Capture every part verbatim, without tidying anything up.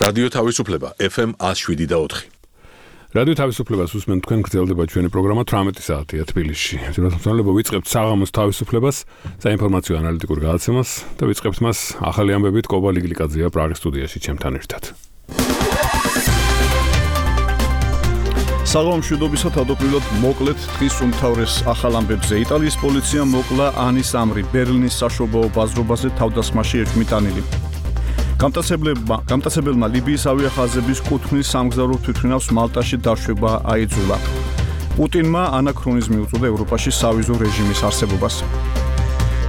რადიო თავისუფლება ეფ ემ one oh seven და four. რადიო თავისუფლებას უსმენთ თქვენ გრძელდება ჩვენი პროგრამა თვრამეტი საათია თბილისში. ძირითადად ვიწყებთ საღამოს თავისუფლებას, საინფორმაციო ანალიტიკურ გადაცემას და ვიწყებთ მას ახალი ამბებით კობა ლიგლიკაძეა პრაღის სტუდიაში ჩემთან ერთად. საღამო მშვიდობისა თავდაპირველად მოკლედ დღის უმთავრეს ახალ ამბებზე. იტალიის პოლიციამ მოკლა ანის ამრი ბერლინის საშობაო ბაზრობაზე თავდასხმაში ეჭვმიტანილი. გამტაცებელმა ლიბიის ავიახაზების კუთვნილ სამგზავრო თვითმფრინავს მალტაში დაშვება აიძულა. პუტინმა ანაქრონიზმი უწოდა ევროპაში სავიზო რეჟიმის არსებობას.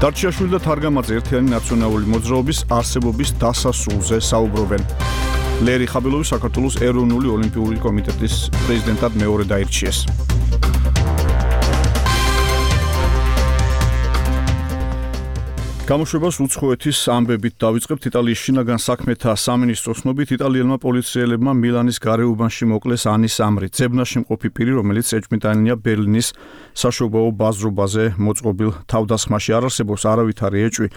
დარჩიაშვილი და თარგამაძე ერთიანი ნაციონალური მოძრაობის არსებობის დასასრულზე საუბრობენ. ლერი ხაბილოვი საქართველოს ეროვნული ოლიმპიური კომიტეტის პრეზიდენტად მეორე დაირჩიეს. გამოშვებას უცხოეთის ამბებით დავიწყებთ. იტალიის შინაგან საქმეთა სამინისტროს ცნობით იტალიელმა პოლიციელებმა მილანის გარეუბანში მოკლეს ანის ამრი, ძებნაში მყოფი პირი, რომელიც ეჭვმიტანილია ბერლინის საშობაო ბაზრობაზე მოწყობილ თავდასხმაში. არ არსებობს არავითარი ეჭვი,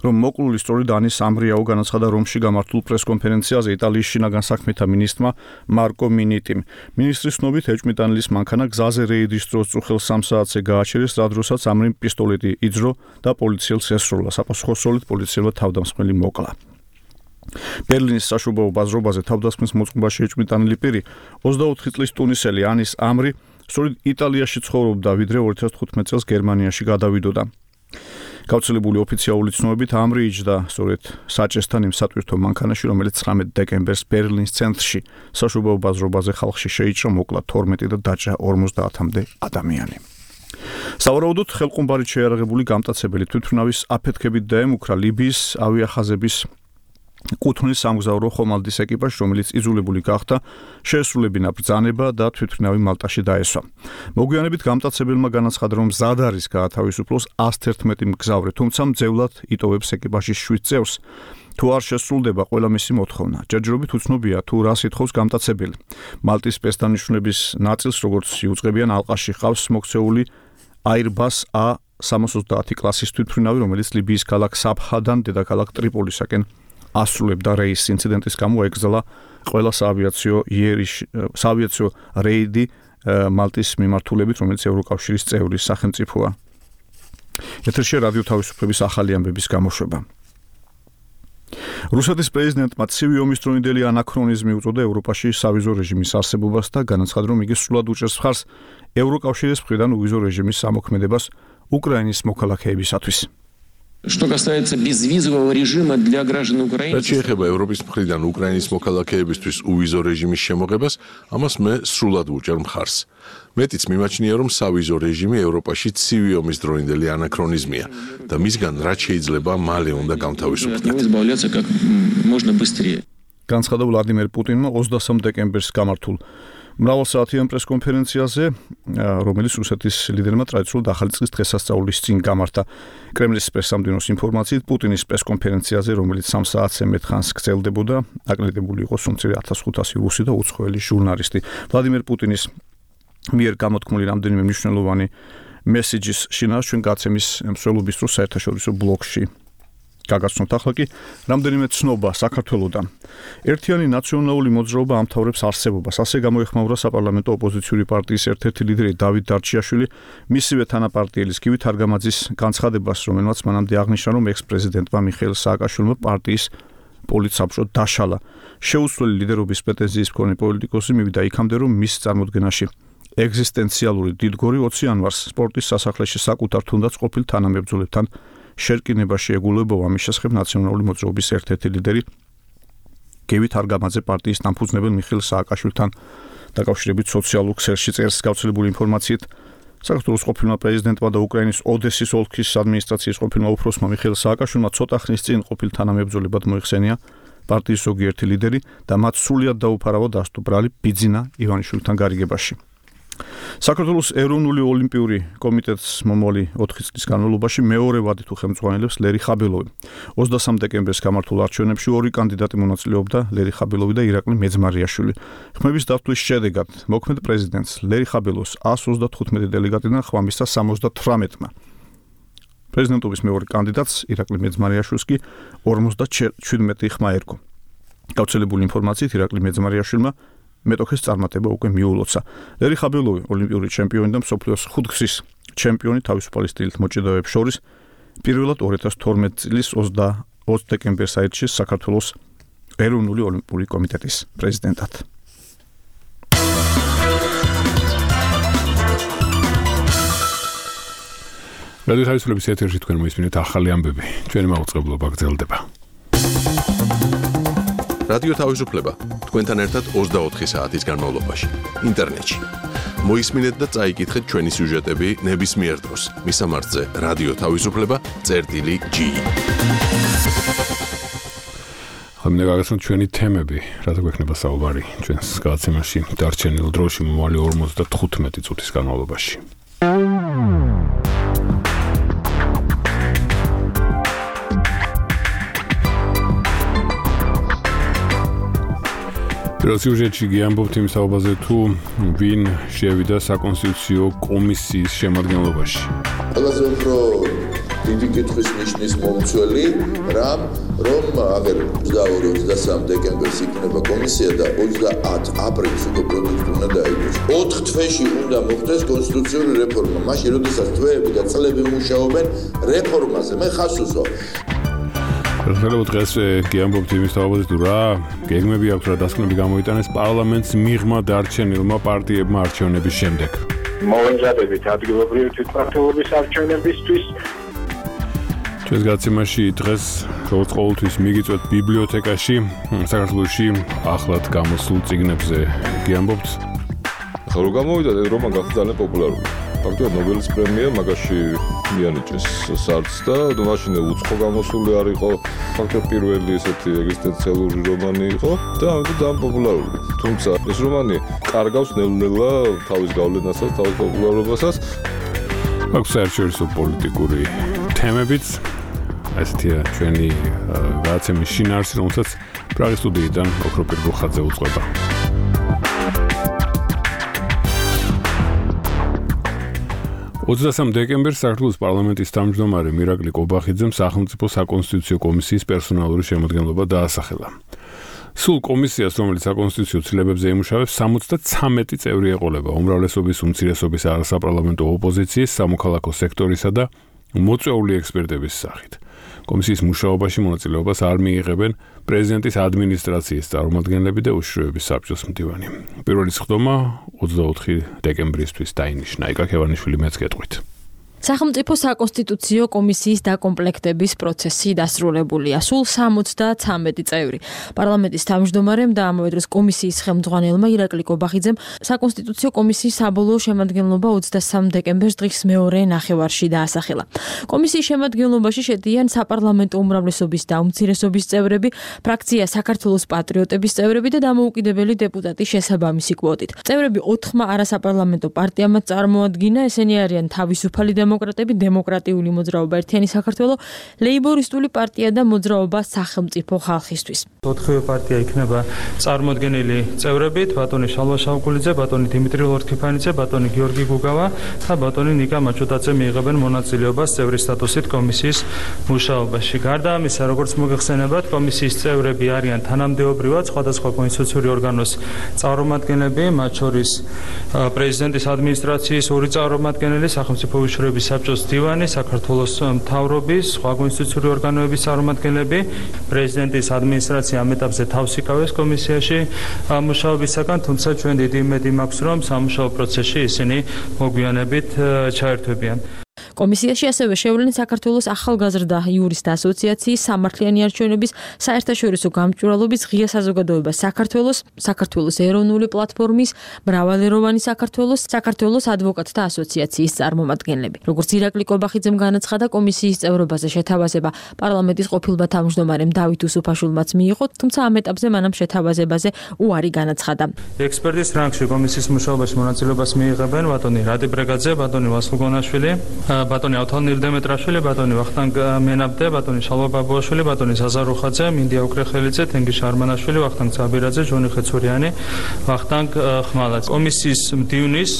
რომ მოკლული სწორედ ანის ამრიაო, განაცხადა რომში გამართულ პრესკონფერენციაზე იტალიის შინაგან საქმეთა მინისტრმა მარკო მინიტიმ. მინისტრის ცნობით ეჭვმიტანილის მანქანა გზაზე რეიდის დროს წუხელ სამ საათზე გააჩერეს, რა დროსაც ამრიმ პისტოლეტი იძრო და პოლიციელს ესროლა. საპასუხოსროლით პოლიციელმა თავდამსხმელი მოკლა. ბერლინის საშობაო ბაზრობაზე თავდასხმის მოწყობაში ეჭვმიტანილი პირი ოცდაოთხი წლის ტუნისელი ანის ამრი სწორედ იტალიაში ცხოვრობდა, ვიდრე ორი ათას თხუთმეტ წელს გერმანიაში გადავიდოდა. გავრცელებული ოფიციალური ცნობებით ამრი იჯდა სწორედ საჭესთან იმ სატვირთო მანქანაში, რომელიც ცხრამეტ დეკემბერს ბერლინის ცენტრში საშობაო ბაზრობაზე ხალხში შეიჭრა, მოკლა თორმეტი და დაჭრა ორმოცდაათამდე ადამიანი. სავარაუდოდ ხელყუმბარით შეიარაღებული გამტაცებელი თვითმფრინავის აფეთქებით დაემუქრა ლიბიის ავიახაზების კუთვნილ სამგზავრო ხომალდის ეკიპაჟს, რომელიც იძულებული გახდა შეესრულებინა ბრძანება და თვითმფრინავი მალტაში დაესვა. მოგვიანებით გამტაცებელმა განაცხადა, რომ მზად არის გაათავისუფლოს ას თერთმეტი მგზავრი, თუმცა მძევლად იტოვებს ეკიპაჟის შვიდ წევრს. თუ არ შესრულდება ყველა მისი მოთხოვნა, ჯერჯერობით უცნობია თუ რას ითხოვს გამტაცებელი. მალტის სპეცდანიშნულების ნაწილს, როგორც იუწყებიან, ალყაში ჰყავს მოქცეული Airbus A სამას ოცდაათი კლასის თვითმფრინავი, რომელიც ლიბიის ქალაქ საბჰადან დედაქალაქ ტრიპოლისაკენ ასრულებდა რეისს. ინციდენტის გამო ეკრძალა ყველა საავიაციო საავიაციო რეიდი მალტის მიმართულებით, რომელიც ევროკავშირის წევრი სახელმწიფოა. ეთერში რადიო თავისუფლების ახალი ამბების გამოშვება. რუსეთის პრეზიდენტმა ცივი ომის დროინდელი ანაქრონიზმი უწოდა ევროპაში სავიზო რეჟიმის არსებობას და განაცხადა, რომ იგი სრულად უჭერს მხარს ევროკავშირის მხრიდან უვიზო რეჟიმის სამოქმედებას უკრაინის მოქალაქეებისათვის. Что касается безвизового режима для граждан Украины. რაც შეეხება ევროპის მხრიდან უკრაინის მოქალაქეებისთვის უვიზო რეჟიმის შემოღებას, ამას მე სრულად ვუჭერ მხარს. მეტიც მიმაჩნია, რომ სავიზო რეჟიმი ევროპაში ცივი ომის დროინდელი ანაქრონიზმია და მისგან რაც შეიძლება მალე უნდა გამთავისუფლდეთ. განცხადა ვლადიმერ პუტინმა ოცდასამ დეკემბერს გამართულ მრავალსაათიან პრესკონფერენციაზე, რომელიც რუსეთის ლიდერმა ტრადიციულად ახალი წლის დღესასწაულის წინ გამართა. კრემლის პრესსამდივნოს ინფორმაციით, პუტინის პრესკონფერენციაზე, რომელიც სამ საათზე მეტ ხანს გრძელდებოდა, აკრედიტებული იყო სუმცირე ათას ხუთასი რუსი და უცხოელი ჟურნალისტი. ვლადიმერ პუტინის მიერ გამოთქმული რამდენიმე მნიშვნელოვანი მესიჯის შინაარს ჩვენ გაცემის მსვლელობის დროს საერთაშორისო ბლოგში გაგაცნობთ. ახლა კი რამდენიმე ცნობა საქართველოდან. ერთიანი ნაციონალური მოძრაობა ამთავრებს არსებობას. ასე გამოეხმაურა საპარლამენტო ოპოზიციური პარტიის ერთ-ერთი ლიდერი დავით დარჩიაშვილი მისივე თანაპარტიელის გივი თარგამაძის განცხადებას, რომელმაც მანამდე აღნიშნა, რომ ექს-პრეზიდენტმა მიხეილ სააკაშვილმა პარტიის პოლიტსაბჭო დაშალა. შეუცვლელი ლიდერობის პრეტენზიის მქონე პოლიტიკოსი მივიდა იქამდე, რომ მის წარმოდგენაში ეგზისტენციალური დიდგორი ოცი იანვარს სპორტის სასახლეში საკუთარ თუნდაც ყოფილ თანამებრძოლებთან შერკინებაში ეგულებოდა. ამის შესახებ ნაციონალური მოძრაობის ერთ-ერთი ლიდერი გივი თარგამაძე პარტიის დამფუძნებელ მიხეილ სააკაშვილთან დაკავშირებით სოციალურ ქსელში წერს. გავრცელებული ინფორმაციით, საქართველოს ყოფილმა პრეზიდენტმა და უკრაინის ოდესის ოლქის ადმინისტრაციის ყოფილმა უფროსმა მიხეილ სააკაშვილმა ცოტა ხნის წინ ყოფილ თანამებრძოლებად მოიხსენია პარტიის ზოგიერთი ლიდერი და მათ სრულად დაუფარავა დასტო ბრალი ბიძინა ივანიშვილთან გარიგებაში. საქართველოს ეროვნული ოლიმპიური კომიტეტს მომავალი ოთხი წლის განმავლობაში მეორე ვადით უხელმძღვანელებს ლერი ხაბილოვი. ოცდასამ დეკემბერს გამართულ არჩევნებში ორი კანდიდატი მონაწილეობდა, ლერი ხაბილოვი და ირაკლი მეძმარიაშვილი. ხმების დათვლის შედეგად მოქმედ პრეზიდენტს ლერი ხაბილოვს ას ოცდათხუთმეტი დელეგატიდან ხმა სამოცდათვრამეტმა. პრეზიდენტობის მეორე კანდიდატს ირაკლი მეძმარიაშვილს კი ორმოცდაჩვიდმეტი ხმა ერგო. გავრცელებული ინფორმაციით ირაკლი მეძმარიაშვილმა მეტოქეს წარმატება უკვე მიულოცა. ლერი ხაბილოვი, ოლიმპიური ჩემპიონი და მსოფლიოს ხუთგზის ჩემპიონი თავისუფალი სტილით მოჭიდავეებს შორის პირველად ორი ათას თორმეტი წლის ოცდაოთხ დეკემბერს აირჩიეს საქართველოს ეროვნული ოლიმპიური კომიტეტის პრეზიდენტად. რადიო თავისუფლების ეთერში თქვენ მოისმინეთ ახალი ამბები. ჩვენი მაუწყებლობა გრძელდება. რადიო თავისუფლება თქვენთან ერთად ოცდაოთხი საათის განმავლობაში ინტერნეტში. მოისმინეთ და წაიკითხეთ ჩვენი სიუჟეტები ნებისმიერ დროს. მისამართზე რადიო თავისუფლება წერტილი ჯი. ხომ გაგაცნოთ ჩვენი თემები, რათა გვექნება საუბარი ჩვენს გადაცემაში დარჩენილ დროში მომავალი ორმოცდათხუთმეტი წუთის განმავლობაში. პირველ სიუჟეტში გიამბობთ იმ საუბარზე თუ ვინ შევიდა საკონსტიტუციო კომისიის შემადგენლობაში. ყველაზე უფრო დიდი კითხვის ნიშნის მომცველი რამ რომ აღერ ოცდაორი ოცდასამი დეკემბერს იქნება კომისია და ოცდაათი აპრილს უკვე პროდუქტი უნდა დაიგოს. ოთხ თვეში უნდა მოხდეს კონსტიტუციური რეფორმა. მაშინ როდესაც თვეები და წლები მუშაობენ რეფორმაზე, მე ხას უსვამ. ხელმძღვანელო დღეს გიამბობთ იმის თაობაზე თუ რა გეგმები აქვს რა დასკვნები გამოიტანეს პარლამენტს მიღმა დარჩენილმა პარტიებმა არჩევნების შემდეგ. მოვეზადებით ადგილობრივი თვითმმართველობის არჩევნებისთვის. ჩვენს გადაცემაში დღეს როგორც ყოველთვის მიგიწვევთ ბიბლიოთეკაში საქართველოში ახლად გამოსულ წიგნებზე გიამბობთ. ახლა რომ გამოვიდა რომან გახდა ძალიან პოპულარული. ფაქტობრივად ნობელის პრემია მაგაში მიანიჭეს სარდს და მაშინ უცხო გამოსული არ იყო ფაქტობრივად პირველი ესეთი ეგზისტენციალური რომანი იყო და ამიტომ ძალიან პოპულარული. თუმცა ეს რომანი კარგავს ნელ-ნელა თავის გავლენასაც, თავის პოპულარობასაც. აქვს საერთაშორისო პოლიტიკური თემებიც ესეთია ჩვენი გადაცემის შინაარსი, რომელსაც პრაღის სტუდიიდან ოქროპირ გოხაძე უძღვება. ოცდასამი დეკემბერს საქართველოს პარლამენტის თავმჯდომარე მირაკლი კობახიძემ სახელმწიფო საკონსტიტუციო კომისიის პერსონალური შემადგენლობა დაასახელა. სულ კომისიას, რომელიც საკონსტიტუციო ცვლილებებზე იმუშავებს, სამოცდაცამეტი წევრი ეყოლება უმრავლესობის უმცირესობის არასაპარლამენტო ოპოზიციის, სამოქალაქო სექტორისა და მოწვეული ექსპერტების სახით. კომისიის მუშაობაში მონაწილეობას არ მიიღებენ პრეზიდენტის ადმინისტრაციის წარმომადგენლები და უშიშროების საბჭოს მდივანი. პირველი სხდომა ოცდაოთხი დეკემბრისთვის დაინიშნა. იკა ქევანიშვილი მეც გეტყვით. სახელმწიფო საკონსტიტუციო კომისიის დაკომპლექტების პროცესი დასრულებულია. სულ სამოცდაცამეტი წევრი. პარლამენტის თავმჯდომარემ და ამავე დროს კომისიის ხელმძღვანელმა ირაკლი კობახიძემ საკონსტიტუციო კომისიის საბოლოო შემადგენლობა ოცდასამი დეკემბერს დღის მეორე ნახევარში დაასახელა. კომისიის შემადგენლობაში შედიან საპარლამენტო უმრავლესობის და უმცირესობის წევრები, ფრაქცია საქართველოს პატრიოტების წევრები და დამოუკიდებელი დეპუტატი შესაბამისი კვოტით. წევრები ოთხმა არასაპარლამენტო პარტიამაც წარმოადგინა, ესენი არიან თავისუფალი დემოკრატები, დემოკრატიული მოძრაობა ერთიანი საქართველო, ლეიბორისტული პარტია და მოძრაობა სახელმწიფო ხალხისთვის. ოთხივე პარტია იქნება წარმოდგენილი წევრებით, ბატონი შალვა შავკულიძე, ბატონი დიმიტრი ლორთქიფანიძე, ბატონი გიორგი გუგავა და ბატონი ნიკა მაჩუტაძე მიიღებენ მონაწილეობას წევრის სტატუსით კომისიის მუშაობაში. გარდა ამისა, როგორც მოგეხსენებათ, კომისიის წევრები არიან თანამდებობრივად სხვადასხვა კონსტიტუციური ორგანოს წარმომადგენლები, მათ შორის პრეზიდენტის ადმინისტრაციის ორი წარმომადგენელი, სახელმწიფო უშიშროების საბჭოს დივანი, საქართველოს მთავრობის, სხვა კონსტიტუციური ორგანოების წარმომადგენლები, პრეზიდენტის ადმინისტრაცია ამ ეტაპზე თავს იკავებს კომისიაში მუშაობისაგან, თუმცა ჩვენ დიდი იმედი მაქვს, რომ სამუშაო პროცესში ისინი მოგვიანებით ჩაერთვებიან. კომისიაში ასევე შევლენ საქართველოს ახალგაზრდა იურისტთა ასოციაციის, სამართლიანი არჩევნების, საერთაშორისო გამჭვირვალობის, ღია საზოგადოება საქართველოს, საქართველოს ეროვნული პლატფორმის, მრავალეროვანი საქართველოს, საქართველოს ადვოკატთა ასოციაციის წარმომადგენლები. როგორც ირაკლი კობახიძემ განაცხადა, კომისიის წევრობაზე შეთავაზება პარლამენტის ყოფილმა თავმჯდომარემ დავით უსუფაშვილმაც მიიღო, თუმცა ამ ეტაპზე მანამ შეთავაზებაზე უარი განაცხადა. ექსპერტის რანგში კომისიის მუშაობაში მონაწილეობას მიიღებენ ბატონი რადი ბრეგაძე, ბატონი ვასილ გონაშვილი, ბატონი ავთანდილ დემეტრაშვილი, ბატონი ვახტანგ მენაბდე, ბატონი შალვა ბაბუაშვილი, ბატონი ზაზა რუხაძე, მინდია უკრეხელიძე, თენგიშ არმანაშვილი, ვახტანგ ცაბირაძე, ჟონი ხეცურიანი, ვახტანგ ხმალაც. კომისიის მდივნის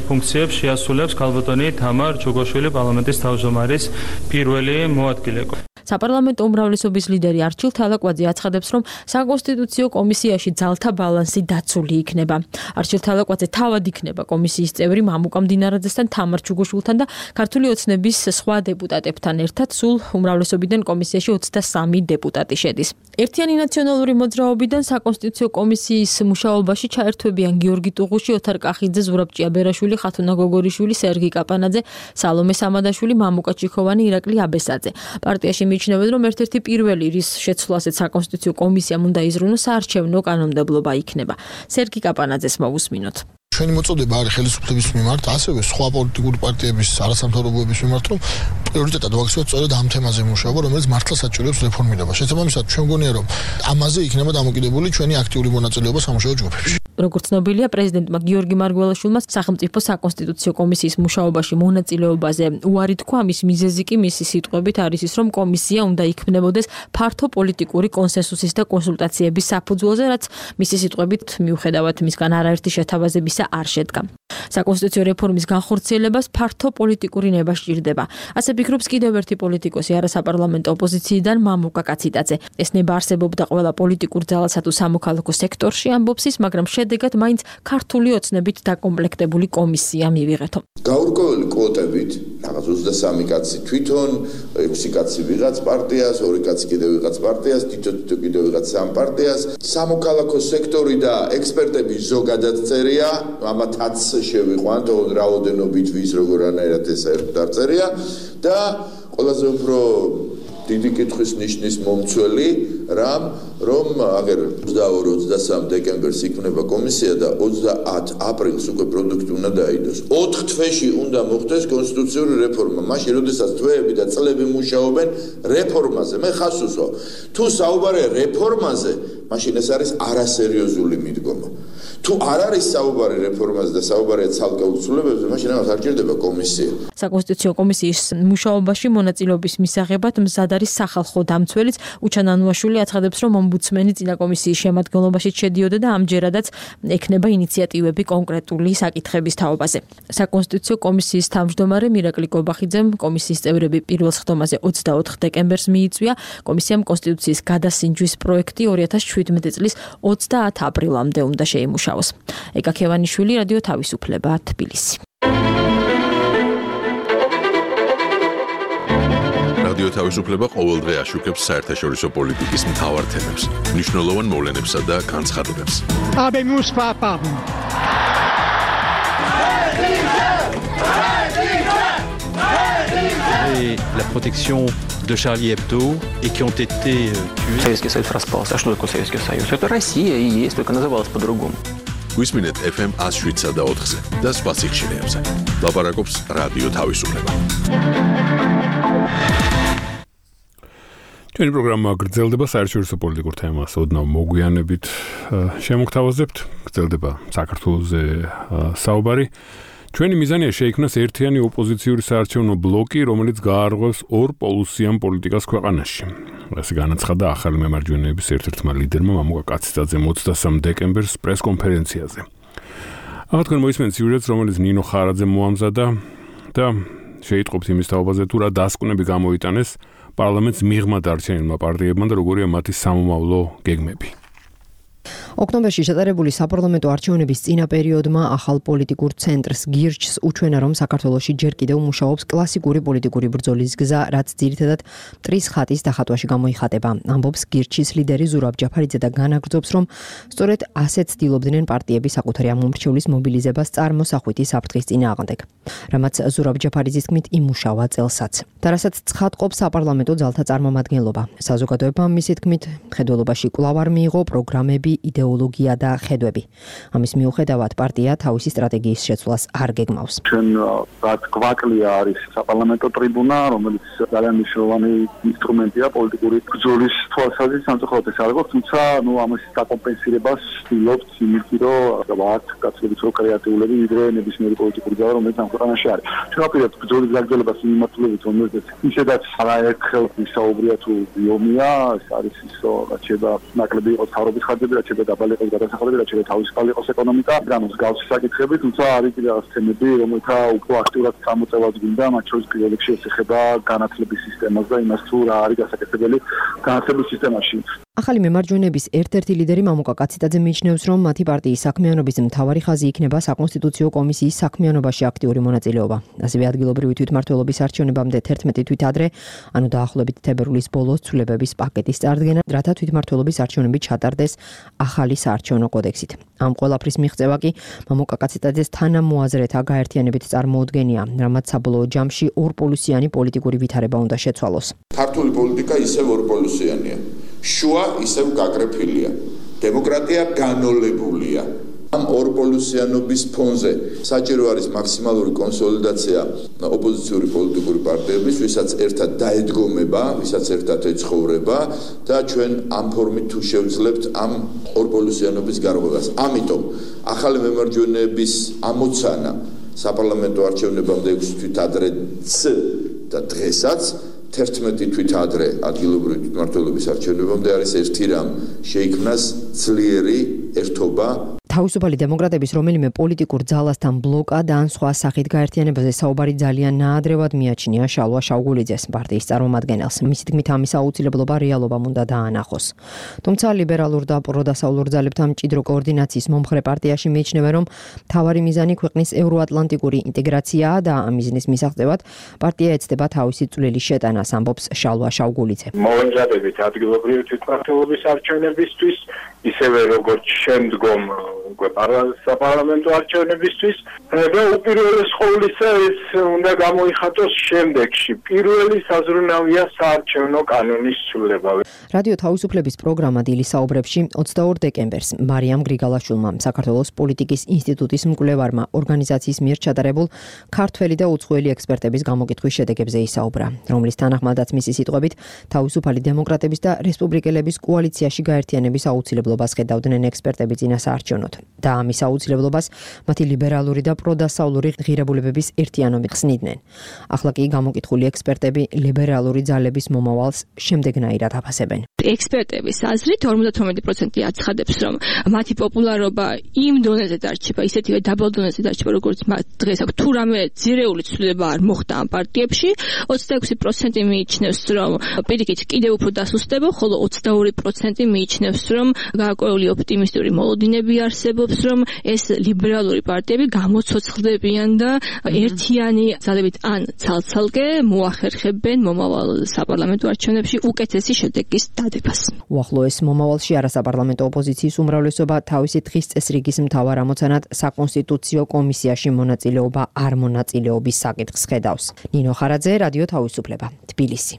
ფუნქციებს შეასრულებს ქალბატონი თამარ ჩუგოშვილი, პარლამენტის თავმჯდომარის პირველი მოადგილე. საპარლამენტო უმრავლესობის ლიდერი არჩილ თალაკვაძე აცხადებს, რომ საკონსტიტუციო კომისიაში ძალთა ბალანსი დაცული იქნება. არჩილ თალაკვაძე თავად იქნება კომისიის წევრი მამუკა მდინარაძესთან, თამარ ჩუგუშვილთან და ქართული ოცნების სხვა დეპუტატებთან ერთად სულ უმრავლესობიდან კომისიაში ოცდასამი დეპუტატი შედის. ერთიანი ნაციონალური მოძრაობიდან საკონსტიტუციო კომისიის მუშაობაში ჩაერთვებიან გიორგი ტუღუში, ოთარ კახიძე, ზურაბ ჭიაბერაშვილი, ხათუნა გოგორიშვილი, სერგი კაპანაძე, სალომე სამადაშვილი, მამუკა ჩიქოვანი, ირაკლი აბესაძე. პარტიაში მიიჩნევენ, რომ ერთ-ერთი პირველი, რის შეცვლასაც საკონსტიტუციო კომისიამ უნდა იზრუნოს, საარჩევნო კანონმდებლობა იქნება. სერგი კაპანაძეს მოვუსმინოთ. ჩვენი მოწოდება არის ხელისუფლების მიმართ, ასევე სხვა პოლიტიკური პარტიების არასამთავრობოების მიმართ, რომ პრიორიტეტად ვაქცევთ სწორედ ამ თემაზე მუშაობა, რომელიც მართლა საჭიროებს რეფორმირებას. შესაბამისად, ჩვენ მგონია, რომ ამაზე იქნება დამოკიდებული ჩვენი აქტიური მონაწილეობა სამუშაო ჯგუფებში. როგორც ცნობილია, პრეზიდენტმა გიორგი მარგველაშვილმა სახელმწიფო საკონსტიტუციო კომისიის მუშაობაში მონაწილეობაზე უარი თქვა. მის მიზეზი კი მისი სიტყვებით არის ის, რომ კომისია უნდა იქმნებოდეს ფართო პოლიტიკური კონსენსუსის და კონსულტაციების საფუძველზე, რაც მისი სიტყვებით მიუხედავად მისგან არაერთი შეთავაზებისა არ შედგა. საკონსტიტუციო რეფორმის განხორციელებას ფართო პოლიტიკური ნება სჭირდება. ასე ფიქრობს კიდევ ერთი პოლიტიკოსი არასაპარლამენტო ოპოზიციიდან მამუკა კაციტაძე. ეს ნება არსებობდა ყველა პოლიტიკურ ძალასა თუ სამოქალაქო სექტორში, ამბობს ის, მაგრამ შედეგად მაინც ქართული ოცნებით დაკომპლექტებული კომისია მივიღეთო. გაურკვეველი კვოტებით, რაღაც ოცდასამი კაცი თვითონ, ექვსი კაცი ვიღაც პარტიას, ორი კაცი კიდევ ვიღაც პარტიას, თითო თითო კიდევ ვიღაც სამ პარტიას, სამოქალაქო სექტორი და ექსპერტები ზოგადად წერია, ამათაც შევიყვანთ, რაოდენობით ვის როგორანაირად ეს საერთოდ არ წერია და ყველაზე უფრო დიდი კითხვის ნიშნის მომცველი რამ, რომ აგერ ოცდაორი ოცდასამი დეკემბერს იქნება კომისია და ოცდაათი აპრილს უკვე პროდუქტი უნდა დაიდოს. ოთხ თვეში უნდა მოხდეს კონსტიტუციური რეფორმა. მაშინ, როდესაც თვეები და წლები მუშაობენ რეფორმაზე, მე ხაზს უსვამ. თუ საუბარია რეფორმაზე, მაშინ ეს არის არასერიოზული მიდგომა. თუ არ არის საუბარი რეფორმაზე და საუბარია ცალკეულ ცვლილებებზე, მაშინ ამას არ ჭირდება კომისია. საკონსტიტუციო კომისიის მუშაობაში მონაწილეობის მისაღებად მზად არის სახალხო დამცველიც. უჩან ანუაშვილი აცხადებს, რომ ომბუდსმენი წინა კომისიის შემადგენლობაში შედიოდა და ამჯერადაც ექნება ინიციატივები კონკრეტული საკითხების თაობაზე. საკონსტიტუციო კომისიის თავმჯდომარე მირაკლი გობახიძემ კომისიის წევრები პირველ სხდომაზე ოცდაოთხ დეკემბერს მიიწვია. კომისიამ კონსტიტუციის გადასინჯვის პროექტი ორი ათას შვიდმეტი წლის ოცდაათი აპრილამდე უნდა შეიმუშაოს. ეკა ქევანიშვილი, რადიო თავისუფლება, თბილისი. რადიო თავისუფლება ყოველდღე აშუქებს საერთაშორისო პოლიტიკის მთავარ თემებს, მნიშვნელოვან მოვლენებსა და განცხადებებს. Habemus papam. Et la protection de Charlie Hebdo et qui ont été tués. Советский Союз распался. А что такое Советский Союз? Это Россия и есть, только называлась по-другому. გვისმინეთ эф эм one oh seven და ოთხზე და სხვა სიხშირეებზე. ლაპარაკობს რადიო თავისუფლება. ჩვენი პროგრამა გრძელდება საერთაშორისო პოლიტიკურ თემას ოდნავ მოგვიანებით შემოგთავაზებთ. გრძელდება საქართველოზე საუბარი. ჩვენი მიზანია შეიქმნას ერთიანი ოპოზიციური საარჩევნო ბლოკი, რომელიც გაარღვევს ორ პოლუსიან პოლიტიკას ქვეყანაში. ასე განაცხადა ახალი მემარჯვენეების ერთ-ერთმა ლიდერმა მამუკა კაციტაძემ ოცდასამი დეკემბერს პრესკონფერენციაზე. ახლა თქვენ მოისმენთ სიუჟეტს, რომელიც ნინო ხარაძემ მოამზადა და შეიტყობთ იმის თაობაზე, თუ რა დასკვნები გამოიტანეს პარლამენტს მიღმა დარჩენილმა პარტიებმა და როგორია მათი სამომავლო გეგმები. ოქტომბერში ჩატარებული საპარლამენტო არჩევნების წინა პერიოდმა ახალ პოლიტიკურ ცენტრს გირჩს უჩვენა, რომ საქართველოში ჯერ კიდევ მუშაობს კლასიკური პოლიტიკური ბრძოლის გზა, რაც ძირითადად მტრის ხატის დახატვაში გამოიხატება. ამბობს გირჩის ლიდერი ზურაბ ჯაფარიძე და განაგრძობს, რომ სწორედ ასეთ ცდილობდნენ პარტიები საკუთარი ამომრჩევლის მობილიზებას წარმოსახვითი საფრთხის წინააღმდეგ. რამაც ზურაბ ჯაფარიძის თქმით იმუშავა წელსაც. და რასაც ცხადყოფს საპარლამენტო ძალთა წარმომადგენლობა. საზოგადოებამ მისი თქმით მხედველობაში კვლავ არ მიიღო პროგრამები, იდეოლოგია და ხედვები. ამის მიუხედავად პარტია თავისი სტრატეგიის შეცვლას არ გეგმავს. ჩვენ რაც გვაკლია არის საპარლამენტო ტრიბუნა, რომელიც ძალიან მნიშვნელოვანი ინსტრუმენტია პოლიტიკური ბრძოლის თვალსაზრისით სამწუხაროდ ეს არ გვაქვს, თუმცა ნუ ამის დაკომპენსირებას ვცდილობთ იმით, რომ ვართ კაცობრიო კრეატიულები, ვიდრე ნებისმიერი პოლიტიკური ძალა, რომელიც ამ ქვეყანაში არის. ჩვენ ვაპირებთ ბრძოლის გაგრძელებას მიმართულებით, რომელზეც ისედაც არაერთხელ ვისაუბრია თუ ბიომია, ეს არის ის, რაც შეიძლება ნაკლები იყოს თავრობის ხარჯები, რაც შეიძლება დაბალი იყოს გადასახადები, რაც შეიძლება თავისუფალი იყოს ეკონომიკა, ანუ მსგავსი საკითხები, თუმცა არის კიდევ რაღაც თემები, რომელთა უფრო აქტიურად გამოწევაც გვინდა, მათ შორის პირველ რიგში ეხება განათლების სისტემას და იმას, თუ რა არის გასაკეთებელი განათლების სისტემაში. ახალი მემარჯვენეების ერთ-ერთი ლიდერი მამუკა კაციტაძე მიიჩნევს, რომ მათი პარტიის საქმიანობის მთავარი ხაზი იქნება საკონსტიტუციო კომისიის საქმიანობაში აქტიური მონაწილეობა. ასევე ადგილობრივი თვითმმართველობის არჩევნებამდე თერთმეტი თვით ადრე, ანუ დაახლოებით თებერვლის ბოლოს ცვლილებების პაკეტის წარდგენა, რათა თვითმმართველობის არჩევნები ჩატარდეს ახალი საარჩევნო კოდექსით. ამ ყველაფრის მიღწევა კი მამუკა კაციტაძეს თანამოაზრეთა გაერთიანებით წარმოუდგენია, რამაც საბოლოო ჯამში ორპოლუსიანი პოლიტიკური ვითარება უნდა შეცვალოს. ქართული პოლიტიკა ისევ ორპოლუსიანია. შუა ისევ გაგრეფილია. დემოკრატია განოლებულია. ამ ორპოლუსიანობის ფონზე საჭირო არის მაქსიმალური კონსოლიდაცია ოპოზიციური პოლიტიკური პარტიების, ვისაც ერთად დაედგომება, ვისაც ერთად ეცხოვრება და ჩვენ ამ ფორმით თუ შევძლებთ ამ ორპოლუსიანობის გარღვევას. ამიტომ ახალი მემარჯვენეების ამოცანა საპარლამენტო არჩევნებამდე ექვსი თვით ადრეც და დღესაც თერთმეტი თვით ადრე ადგილობრივი თვითმმართველობის არჩევნებამდე არის ერთი რამ შეიქმნას ძლიერი ერთობა. თავისუფალი დემოკრატების რომელიმე პოლიტიკურ ძალასთან ბლოკად ან სხვა სახით გაერთიანებაზე საუბარი ძალიან ნაადრევად მიაჩნია შალვა შაუგულიძეს, პარტიის წარმომადგენელს. მისი თქმით, ამის აუცილებლობა რეალობამ უნდა დაანახოს. თუმცა ლიბერალურ და პროდასავლურ ძალებთან მჭიდრო კოორდინაციის მომხრე პარტიაში მიიჩნევენ, რომ მთავარი მიზანი ქვეყნის ევროატლანტიკური ინტეგრაციაა და ამ მიზნის მისაღწევად პარტია ეცდება თავისი წვლილი შეტანას, ამბობს შალვა შაუგულიძე. მოვენზადებით ადგილობრივი თვითმმართველობის არჩევნებისთვის, ისევე როგორც შემდგომ უკვე საპარლამენტო არჩევნებისთვის და უპირველეს ყოვლისა ეს უნდა გამოიხატოს შემდეგში. პირველი საზრუნავია საარჩევნო კანონის ცვლილება. რადიო თავისუფლების პროგრამა დილის საუბრებში ოცდაორ დეკემბერს მარიამ გრიგალაშვილმა, საქართველოს პოლიტიკის ინსტიტუტის მკვლევარმა, ორგანიზაციის მიერ ჩატარებულ ქართველი და უცხოელი ექსპერტების გამოკითხვის შედეგებზე ისაუბრა, რომლის თანახმადაც მისი სიტყვებით თავისუფალი დემოკრატების და რესპუბლიკელების კოალიციაში გაერთიანების აუცილებლობას ხედავდნენ ექსპერტები წინა საარჩევნოდ. და ამის აუცილებლობას მათი ლიბერალური და პროდასავლური ღირებულებების ერთიანობით ხსნიდნენ. ახლა კი გამოკითხული ექსპერტები ლიბერალური ძალების მომავალს შემდეგნაირად აფასებენ. ექსპერტების აზრით ორმოცდათვრამეტი პროცენტი აცხადებს, რომ მათი პოპულარობა იმ დონეზე დარჩება, ისეთივე დაბალ დონეზე დარჩება, როგორც დღეს აქვს, თუ რამე ძირეული ცვლილება არ მოხდა ამ პარტიებში. ოცდაექვსი პროცენტი მიიჩნევს, რომ პირიქით კიდევ უფრო დასუსტება, ხოლო ოცდაორი პროცენტი მიიჩნევს, რომ გარკვეული ოპტიმისტური მოლოდინები არსებობს, რომ ეს ლიბერალური პარტიები გამოცოცხლდებიან და ერთიანი ძალებით ან ცალ-ცალკე მოახერხებენ მომავალ საპარლამენტო არჩევნებში უკეთესი შედეგის დადებას. უახლოეს მომავალში არასაპარლამენტო ოპოზიციის უმრავლესობა თავისი დღის წესრიგის მთავარ ამოცანად საკონსტიტუციო კომისიაში მონაწილეობა არ მონაწილეობის საკითხს ხედავს. ნინო ხარაძე, რადიო თავისუფლება, თბილისი.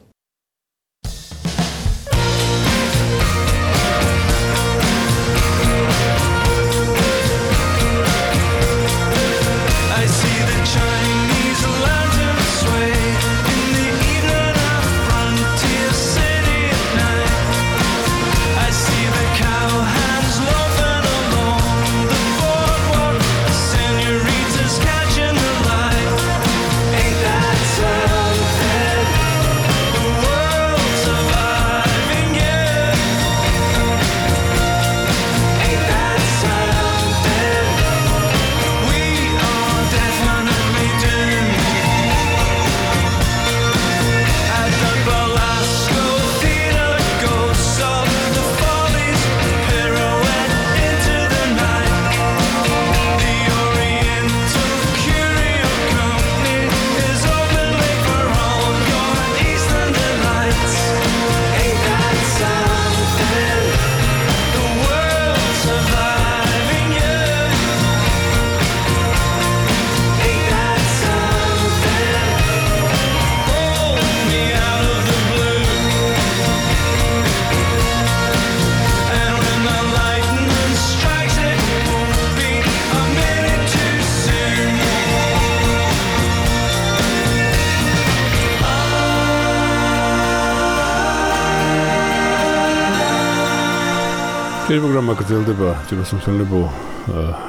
ეს პროგრამა გრძელდება ჯერუსალემსმელებო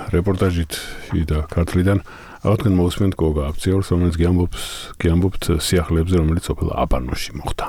რეპორტაჟით და ქართლიდან. აღადგენ მოусმენთ გოგა აფციორს, რომელიც გიამბობს, გიამბობთ სიახლეებზე, რომელიც სოფელ აბანოში მოხდა.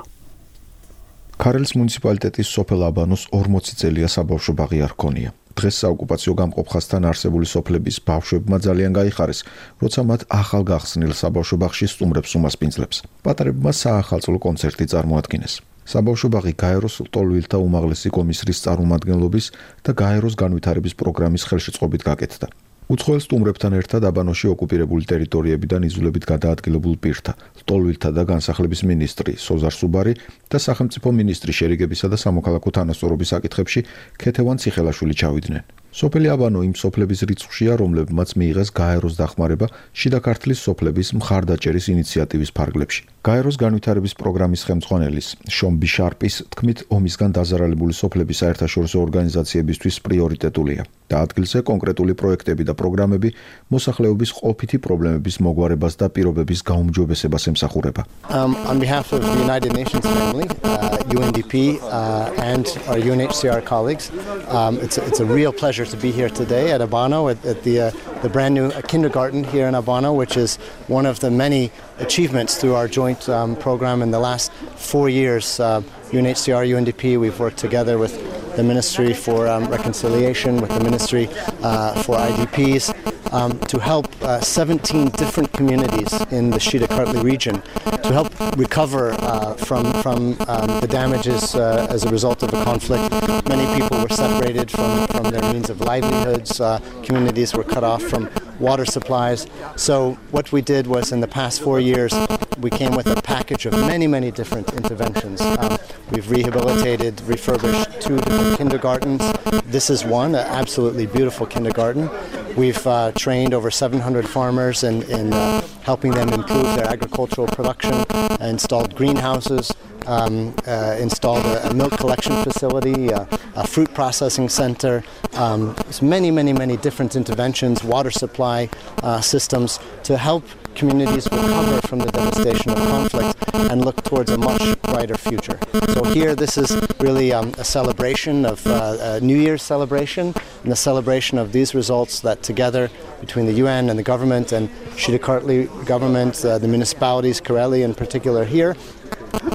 ქარელის მუნიციპალიტეტის სოფელ აბანოს ორმოცი წელია საბავშვო ბაღი არ ჰქონია. დღეს საოკუპაციო გამყოფხასთან არსებული სოფლების ბავშვებმა ძალიან გაიხარეს, როცა მათ ახალ გახსნილ საბავშვო ბაღში სტუმრებს უმასპინძლებს. პატარებმა საახალწლო კონცერტი წარმოადგინეს. საბავშვო ბაღი გაეროს ლტოლვილთა უმაღლესი კომისრის წარმომადგენლობის და გაეროს განვითარების პროგრამის ხელშეწყობით გაკეთდა. უცხოელ სტუმრებთან ერთად აბანოში ოკუპირებული ტერიტორიებიდან იზოლებით გადაადგილებულ პირთა, ლტოლვილთა და განსახლების მინისტრი სოზარ სუბარი და სახელმწიფო მინისტრი შერიგებისა და სამოქალაქო თანასწორობის საკითხებში ქეთევან ციხელაშვილი ჩავიდნენ. სოფელი აბანო იმ სოფლების რიცხვშია, რომლებმაც მიიღეს გაეროს დახმარება შიდა ქართლის სოფლების მხარდაჭერის ინიციატივის ფარგლებში. გაეროს განვითარების პროგრამის ხელმძღვანელის შონ ბიშარპის თქმით, ომისგან დაზარალებული სოფლების საერთაშორისო ორგანიზაციებისთვის პრიორიტეტულია და ადგილზე კონკრეტული პროექტები და პროგრამები მოსახლეობის ყოფითი პრობლემების მოგვარებას და პირობების გაუმჯობესებას ემსახურება. Um, on behalf of the United Nations family, uh, U N D P uh, and our U N H C R colleagues, um, it's, a, it's a real pleasure to be here today at Abano at, at the, uh, the brand new kindergarten here in Abano, which is one of the many achievements through our joint um, program in the last four years. Uh, U N H C R, U N D P, we've worked together with the Ministry for um, Reconciliation, with the Ministry uh, for I D Ps, um, to help uh, seventeen different communities in the Shida Kartli region to help recover uh, from, from um, the damages uh, as a result of the conflict. Many people were separated from, from their means of livelihoods. Uh, communities were cut off from water supplies. So what we did was, in the past four years, we came with a package of many, many different interventions. Um, we've rehabilitated, refurbished two different kindergartens. This is one, an absolutely beautiful kindergarten. We've uh, trained over seven hundred farmers in, in uh, helping them improve their agricultural production, installed greenhouses, um, uh, installed a, a milk collection facility, uh, a fruit processing center, um, many, many, many different interventions, water supply uh, systems to help communities recover from the devastation of conflict and look towards a much brighter future. So here, this is really um, a celebration of uh, a New Year's celebration and the celebration of these results that together between the U N and the government and Shida Kartli government, uh, the municipalities, Kareli in particular here,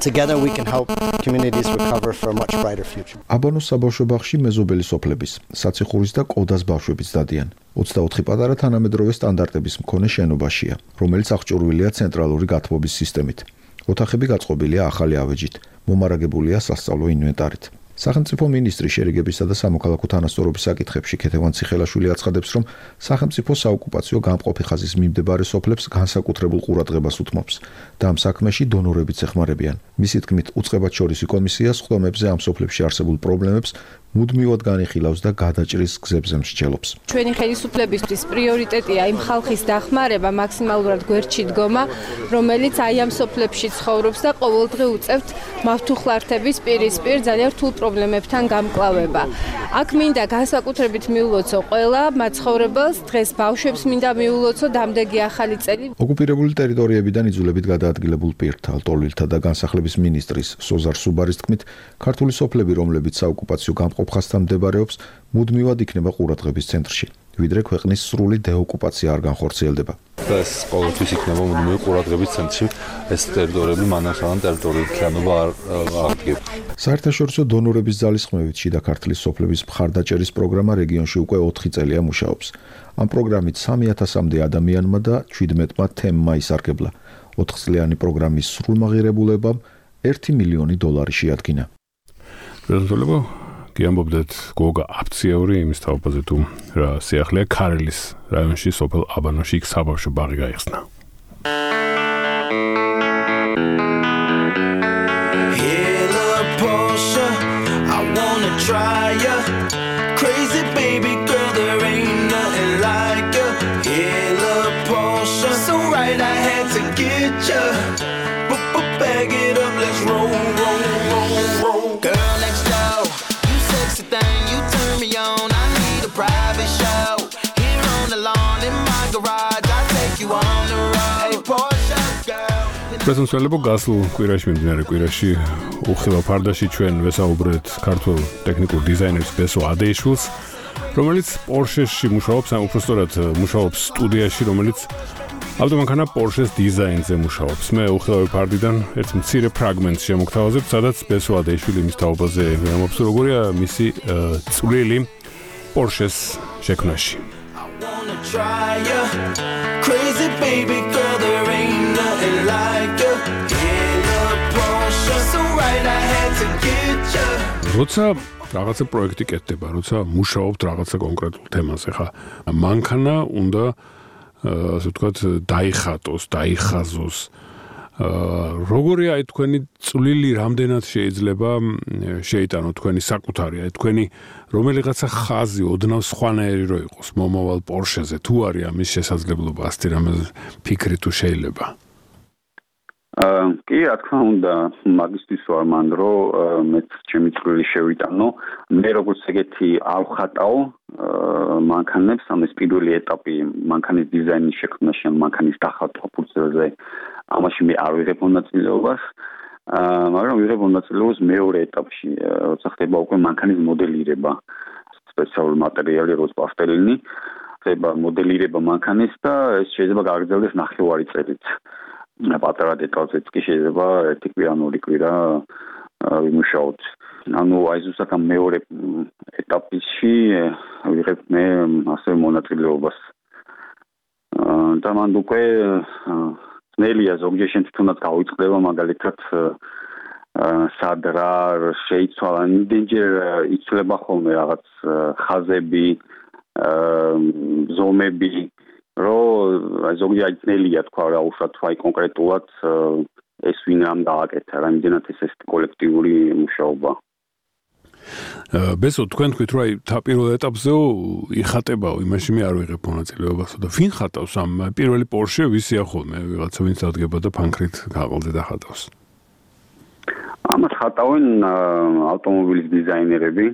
together we can help communities recover for a much brighter future. აბანოს საბავშვო ბაღში მეზობელი სოფლების, საციხურის და კოდას ბავშვებიც დადიან. ოცდაოთხი პატარა თანამედროვე სტანდარტების მქონე შენობაშია, რომელიც აღჭურვილია ცენტრალური გათბობის სისტემით. ოთახები გაწყობილია ახალი ავეჯით, მომარაგებულია სასწავლო ინვენტარით. სახელმწიფო მინისტრი შერიგებისა და სამოქალაქო თანასწორობის საკითხებში ქეთევან ციხელაშვილი აცხადებს, რომ სახელმწიფო საოკუპაციო გამყოფი ხაზის მიმდებარე სოფლებს განსაკუთრებულ ყურადღებას უთმობს და ამ საქმეში დონორებიც ეხმარებიან. მისი თქმით, უწყებათშორისი კომისია სხდომებზე ამ სოფლებში არსებულ პრობლემებს მუდმივად განიხილავს და გადაჭრის გზებზე მსჯელობს. ჩვენი ხელისუფლებისთვის პრიორიტეტია იმ ხალხის დახმარება, მაქსიმალურად გვერდში დგომა, რომელიც აი ამ სოფლებში ცხოვრობს და ყოველდღე უწევთ მავთუხლართების პირისპირ ძალიან რთულ პრობლემებთან გამკლავება. აქ მინდა განსაკუთრებით მიულოცო ყველა მაცხოვრებელს, დღეს ბავშვებს მინდა მიულოცო დამდეგი ახალი წელი. ოკუპირებული ტერიტორიებიდან იძულებით გადაადგილებულ პირთა, ლტოლვილთა და განსახლების მინისტრის სოზარ სუბარის თქმით, ქართული სოფლები, რომლებიც საოკუპაციო გამყოფხასთან მდებარეობს, მუდმივად იქნება ყურადღების ცენტრში, ვიდრე ქვეყნის სრული დეოკუპაცია არ განხორციელდება. ეს ყოველთვის იქნება მუდმივი ყურადღების ცენტრში, ეს ტერიტორიები მანამ სანამ ტერიტორიული ქიანობა არ აღდგება. საერთაშორისო დონორების ძალისხმევით შიდა ქართლის სოფლების მხარდაჭერის პროგრამა რეგიონში უკვე ოთხი წელია მუშაობს. ამ პროგრამით სამი ათასამდე ადამიანმა და შვიდმეტმა თემმა ისარგებლა. ოთხწლიანი პროგრამის სრულმაღირებულებამ ერთი მილიონი დოლარი შეადგინა. პრეზიდენტო კი ამბობდეთ გოგა აფციური იმის თავზე თუ რა სიახლეა ქარელის რაიონში სოფელ აბანოში იქ საბავშვო ბაღი გაიხსნა. პრეზიდენტო გასულ კვირაში მიმდინარე კვირაში უხილავ ფარდაში ჩვენ ვესაუბრეთ ქართულ ტექნიკურ დიზაინერს ბესო ადეიშვილს, რომელიც პორშეში მუშაობს, ან უბრალოდ მუშაობს სტუდიაში, რომელიც ავტომანქანა პორშეს დიზაინზე მუშაობს. მე უხილავი ფარდიდან ერთ მცირე ფრაგმენტს შემოგთავაზებ, სადაც ბესო ადეიშვილი იმის თაობაზე ვიმობს, როგორია მისი წვლილი Porsche-ს შექმნაში. Try ya, crazy baby girl, there ain't nothing like ya. In a Porsche, so right I had to get ya. როცა რაღაცა პროექტი კეთდება, როცა მუშაობთ რაღაცა კონკრეტულ თემაზე, ხა მანქანა უნდა ასე ვთქვათ დაიხატოს, დაიხაზოს. როგორია აი თქვენი წვლილი რამდენად შეიძლება შეიტანო თქვენი საკუთარი, აი თქვენი რომელიღაცა ხაზი ოდნავ სხვანაირი რო იყოს მომავალ Porsche-ზე, თუ არის ამის შესაძლებლობა, ასეთი რამე ფიქრი თუ შეიძლება? აა კი, რა თქმა უნდა, მაგისტრის ვარ მან, რომ მეც ჩემი წვლილი შევიტანო. მე როგორც ეგეთი არ ვხატაო მანქანებს, ამის პირველი ეტაპი მანქანის დიზაინის შექმნაში, მანქანის დახატვა ფურცელზე. ამაში მე არ ვიღებ მონაწილეობას, მაგრამ ვიღებ მონაწილეობას მეორე ეტაპში, როცა ხდება უკვე მანქანის მოდელირება, სპეციალური მატერიალი, როგორც პასტელინი, ხდება მოდელირება მანქანის და ეს შეიძლება გაგრძელდეს ნახევარი წელიც. პატარა დეტალზეც კი შეიძლება ერთი კვირა, ორი კვირა ვიმუშაოთ. ანუ აი ზუსტად ამ მეორე ეტაპში ვიღებ მე ასევე მონაწილეობას. და მან უკვე ნელია ზოგჯერ თუნდაც გავიწყდება მაგალითად სად რა შეიცვალა იმდენჯერ იცვლება ხოლმე რაღაც ხაზები ზომები რომ ზოგჯერ ნელია თქვა რა უშუალოდ აი კონკრეტულად ეს ვინ რამ გააკეთა რა იმდენად ეს ეს კოლექტიური მუშაობა ბესო თქვენ თქვით რომ აი თავ ეტაპზეო იხატებაო იმაში მე არ ვიღებ მონაწილეობასო და ვინ ხატავს ამ პირველი Porsche ვისია ხოლმე ვიღაცა ვინც დადგება და ფანქრით გაყოლზე დახატავს ამას ხატავენ ავტომობილის დიზაინერები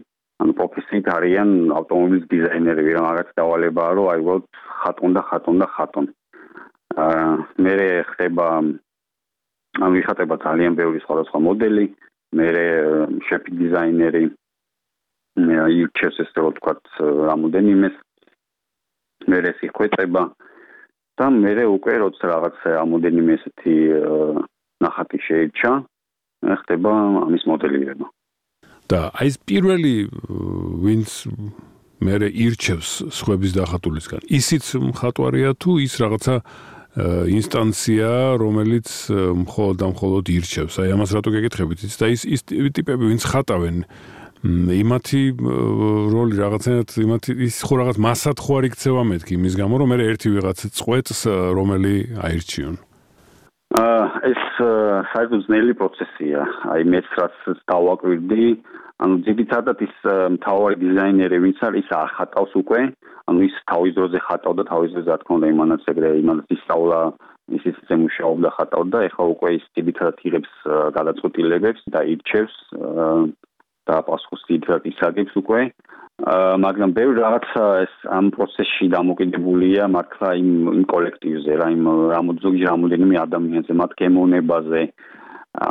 ანუ პროფესიით არიან ავტომობილის დიზაინერები რა მაგაც დავალებაა რომ აი ვოთ ხატონ და ხატონ და ხატონ აა მე ხდება ამ იხატება ძალიან ბევრი სხვადასხვა მოდელი მე შეფი დიზაინერი მე იუჩეს ეს რო თქვა რამოდენიმეს მე ეს იხვეწება და მე უკვე როცა რაღაც რამოდენიმე ესეთი ნახატი შეირჩა ხდება ამის მოდელირება და აი ეს პირველი ვინც მე ირჩევს სხვების დახატულისგან ისიც მხატვარია თუ ის რაღაცა ინსტანცია რომელიც მხოლოდ და მხოლოდ ირჩევს აი ამას რატო გეკითხებით იცით და ის ის ტიპები ვინც ხატავენ იმათი როლი რაღაცნაირად იმათი ის ხო რაღაც მასად ხო არ იქცევა მეთქი იმის გამო რომ მე ერთი ვიღაც წყვეტს რომელი აირჩიონ აა ეს საერთოდ ძნელი პროცესია აი მეც რაც დავაკვირდი ანუ ძირითადად ის მთავარი დიზაინერი ვინც არის ის არ ხატავს უკვე ანუ ის თავის დროზე ხატავდა თავის დროზე რა თქმა უნდა იმანაც ეგრე იმანაც ისწავლა ის ისე მუშაობდა ხატავდა ეხლა უკვე ის ძირითადად იღებს გადაწყვეტილებებს და ირჩევს და პასუხს ძირითადად ისაგებს უკვე მაგრამ ბევრი რაღაცა ეს ამ პროცესში დამოკიდებულია მართლა იმ იმ კოლექტივზე რა იმ რამოდენიმე რამოდენიმე ადამიანზე მათ გემოვნებაზე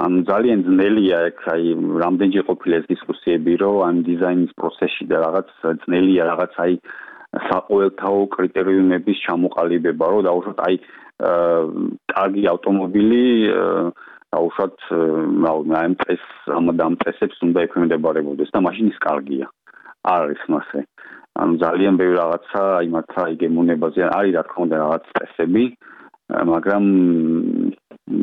ან ძალიან ძნელია ეგ აი რამდენჯერ ყოფილა ეს დისკუსიები რომ ამ დიზაინის პროცესში და რაღაც ძნელია რაღაც აი საყოველთაო კრიტერიუმების ჩამოყალიბება რომ დაუშვათ აი კარგი ავტომობილი დაუშვათ რა ამ წეს ამ ამ წესებს უნდა ექვემდებარებოდეს და მაშინ ის კარგია არ არის მასე ანუ ძალიან ბევრი რაღაცა აი მართლა იგემოვნებაზე არის რა თქმა უნდა რაღაც წესები მაგრამ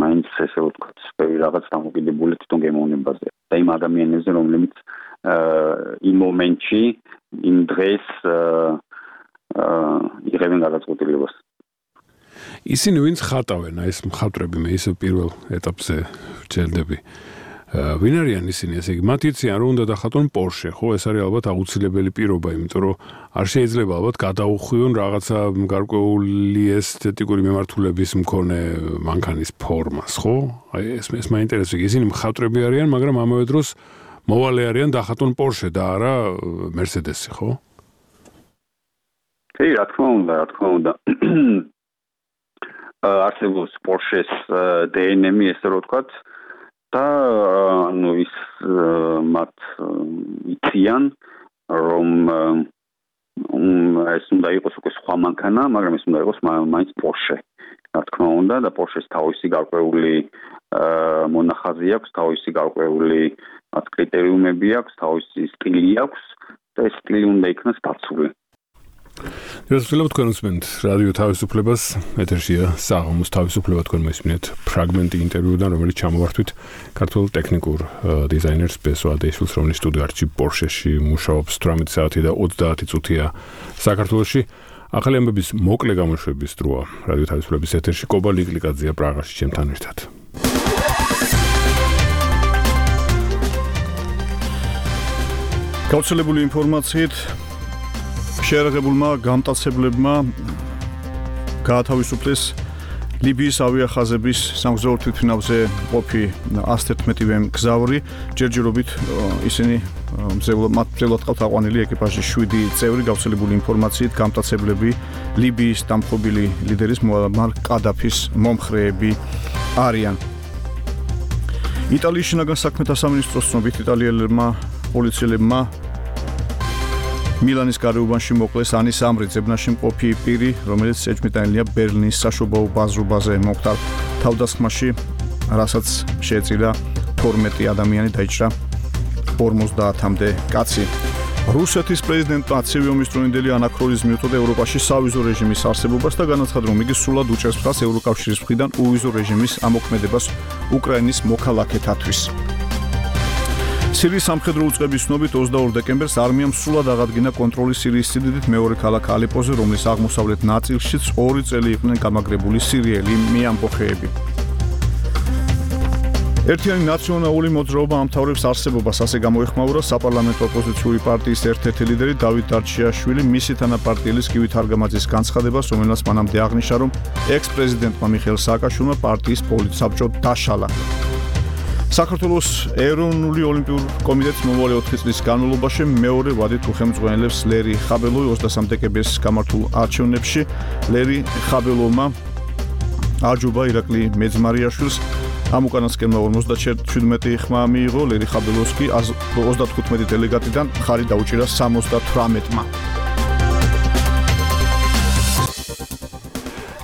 მაინც ესე ვთქვათ ბევრი რაღაც დამოკიდებული თვითონ გემოვნებაზე და იმ ადამიანებზე რომლებიც იმ მომენტში იმ დღეს იღებენ გადაწყვეტილებას ისინი ვინც ხატავენ აი ეს მხატვრები მე ისე პირველ ეტაპზე ვჩერდები ვინ არიან ისინი ესე იგი მათ იციან რომ უნდა დახატონ Porsche ხო ეს არის ალბათ აუცილებელი პირობა იმიტომ რომ არ შეიძლება ალბათ გადაუხვიონ რაღაცა გარკვეული ესთეტიკური მიმართულების მქონე მანქანის ფორმას ხო აი ეს ეს მაინტერესებს ისინი მხატვრები არიან მაგრამ ამავე დროს მოვალე არიან დახატონ Porsche და არა Mercedes-ი ხო კი რა თქმა უნდა რა თქმა უნდა არსებობს Porsche-ს დი ენ ემი ესე რო ვთქვათ და ანუ ის მათ იციან რომ ეს უნდა იყოს უკვე სხვა მანქანა, მაგრამ ეს უნდა იყოს მაინც Porsche. რა თქმა უნდა და Porsche-ს თავისი გარკვეული მონახაზი აქვს, თავისი გარკვეული კრიტერიუმები აქვს, თავისი სტილი აქვს და ეს წილი უნდა იქნას დაცული. Შესაძლოა თქვენ უსმენთ რადიო თავისუფლებას, ეთერშია საღამოს თავისუფლება, თქვენ მოისმინეთ ფრაგმენტი ინტერვიუდან, რომელიც ჩამოვართვით ქართულ ტექნიკურ დიზაინერს ბესო ადეიშვილს, რომელიც სტუდიო არჩი პორშეში მუშაობს თვრამეტი საათი და ოცდაათი წუთია საქართველოში. ახალი ამბების მოკლე გამოშვების დროა რადიო თავისუფლების ეთერში კობა ლიკლიკაძეა პრაღაში ჩემთან ერთად. გავრცელებული ინფორმაციით შეერაღებულმა გამტაცებლებმა გაათავისუფლეს ლიბიის ავიახაზების სამგზავრო თვითმფრინავზე ყოფი ას თერთმეტი მგზავრი, ჯერჯერობით ისინი მათ მძევლად ყავთ აყვანილი ეკიპაჟის შვიდი წევრი. გავრცელებული ინფორმაციით გამტაცებლები ლიბიის დამხობილი ლიდერის მუამარ კადაფის მომხრეები არიან. იტალიის შინაგან საქმეთა სამინისტროს ცნობით იტალიელებმა პოლიციელებმა მილანის გარეუბანში მოკლეს ანის ამრი ძებნაში მყოფი პირი, რომელიც ეჭვმიტანილია ბერლინის საშობაო ბაზრობაზე მომხდარ თავდასხმაში, რასაც შეეწირა თორმეტი ადამიანი, დაიჭრა ორმოცდაათამდე კაცი. რუსეთის პრეზიდენტმა ცივი ომის დროინდელი ანაქრონიზმი უწოდა ევროპაში სავიზო რეჟიმის არსებობას და განაცხადა, რომ იგი სრულად უჭერს მხარს ევროკავშირის მხრიდან უვიზო რეჟიმის ამოქმედებას უკრაინის მოქალაქეთათვის. სირიის სამხედრო უწყების ცნობით ოცდაორ დეკემბერს არმიამ სრულად აღადგინა კონტროლი სირიის სიდიდით მეორე ქალაქ ალეპოზე, რომლის აღმოსავლეთ ნაწილშიც ორი წელი იყვნენ გამაგრებული სირიელი მეამბოხეები. ერთიანი ნაციონალური მოძრაობა ამთავრებს არსებობას, ასე გამოეხმაურა საპარლამენტო ოპოზიციური პარტიის ერთ-ერთი ლიდერი დავით დარჩიაშვილი მისი თანაპარტიელის გივით არგამაძის განცხადებას, რომელსაც მანამდე აღნიშნა, რომ ექს-პრეზიდენტმა მიხეილ სააკაშვილმა პარტიის პოლიტსაბჭო დაშალა. საქართველოს ეროვნული ოლიმპიური კომიტეტის მომავალი ოთხი წლის განმავლობაში მეორე ვადით უხელმძღვანელებს ლერი ხაბელოვი ოცდასამი დეკემბერს გამართულ არჩევნებში. ლერი ხაბელოვმა აჯობა ირაკლი მეძმარიაშვილს, ამ უკანასკნელმა ორმოცდაჩვიდმეტი ხმა მიიღო, ლერი ხაბელოვს კი ოცდათხუთმეტი დელეგატიდან ხარი დაუჭირა სამოცდათვრამეტმა.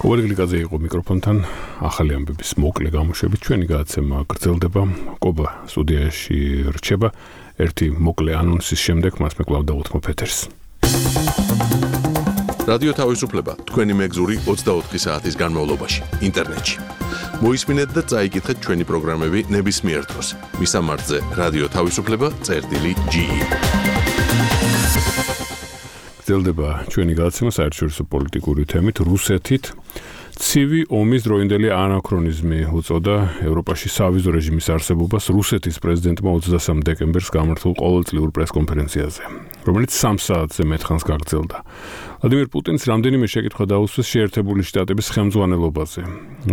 კობა ლიკლიკაძე იყო მიკროფონთან, ახალი ამბების მოკლე გამოშვებით ჩვენი გადაცემა გრძელდება. კობა სტუდიაში რჩება, ერთი მოკლე ანონსის შემდეგ მას მე კვლავ დავუთმობ ეთერს. რადიო თავისუფლება თქვენი მეგზური ოცდაოთხი საათის განმავლობაში ინტერნეტში. მოისმინეთ და წაიკითხეთ ჩვენი პროგრამები ნებისმიერ დროს. მისამართზე რადიო თავისუფლება წერტილი ჯი. გრძელდება ჩვენი გადაცემა საერთაშორისო პოლიტიკური თემით რუსეთით. ცივი ომის დროინდელი ანაქრონიზმი უწოდა ევროპაში სავიზო რეჟიმის არსებობას რუსეთის პრეზიდენტმა ოცდასამი დეკემბერს გამართულ ყოველწლიურ პრესკონფერენციაზე, რომელიც სამ საათზე მეტხანს გაგრძელდა. ვლადიმერ პუტინს რამდენიმე შეკითხვა დაუსვეს შეერთებული შტატების ხელმძღვანელობაზე,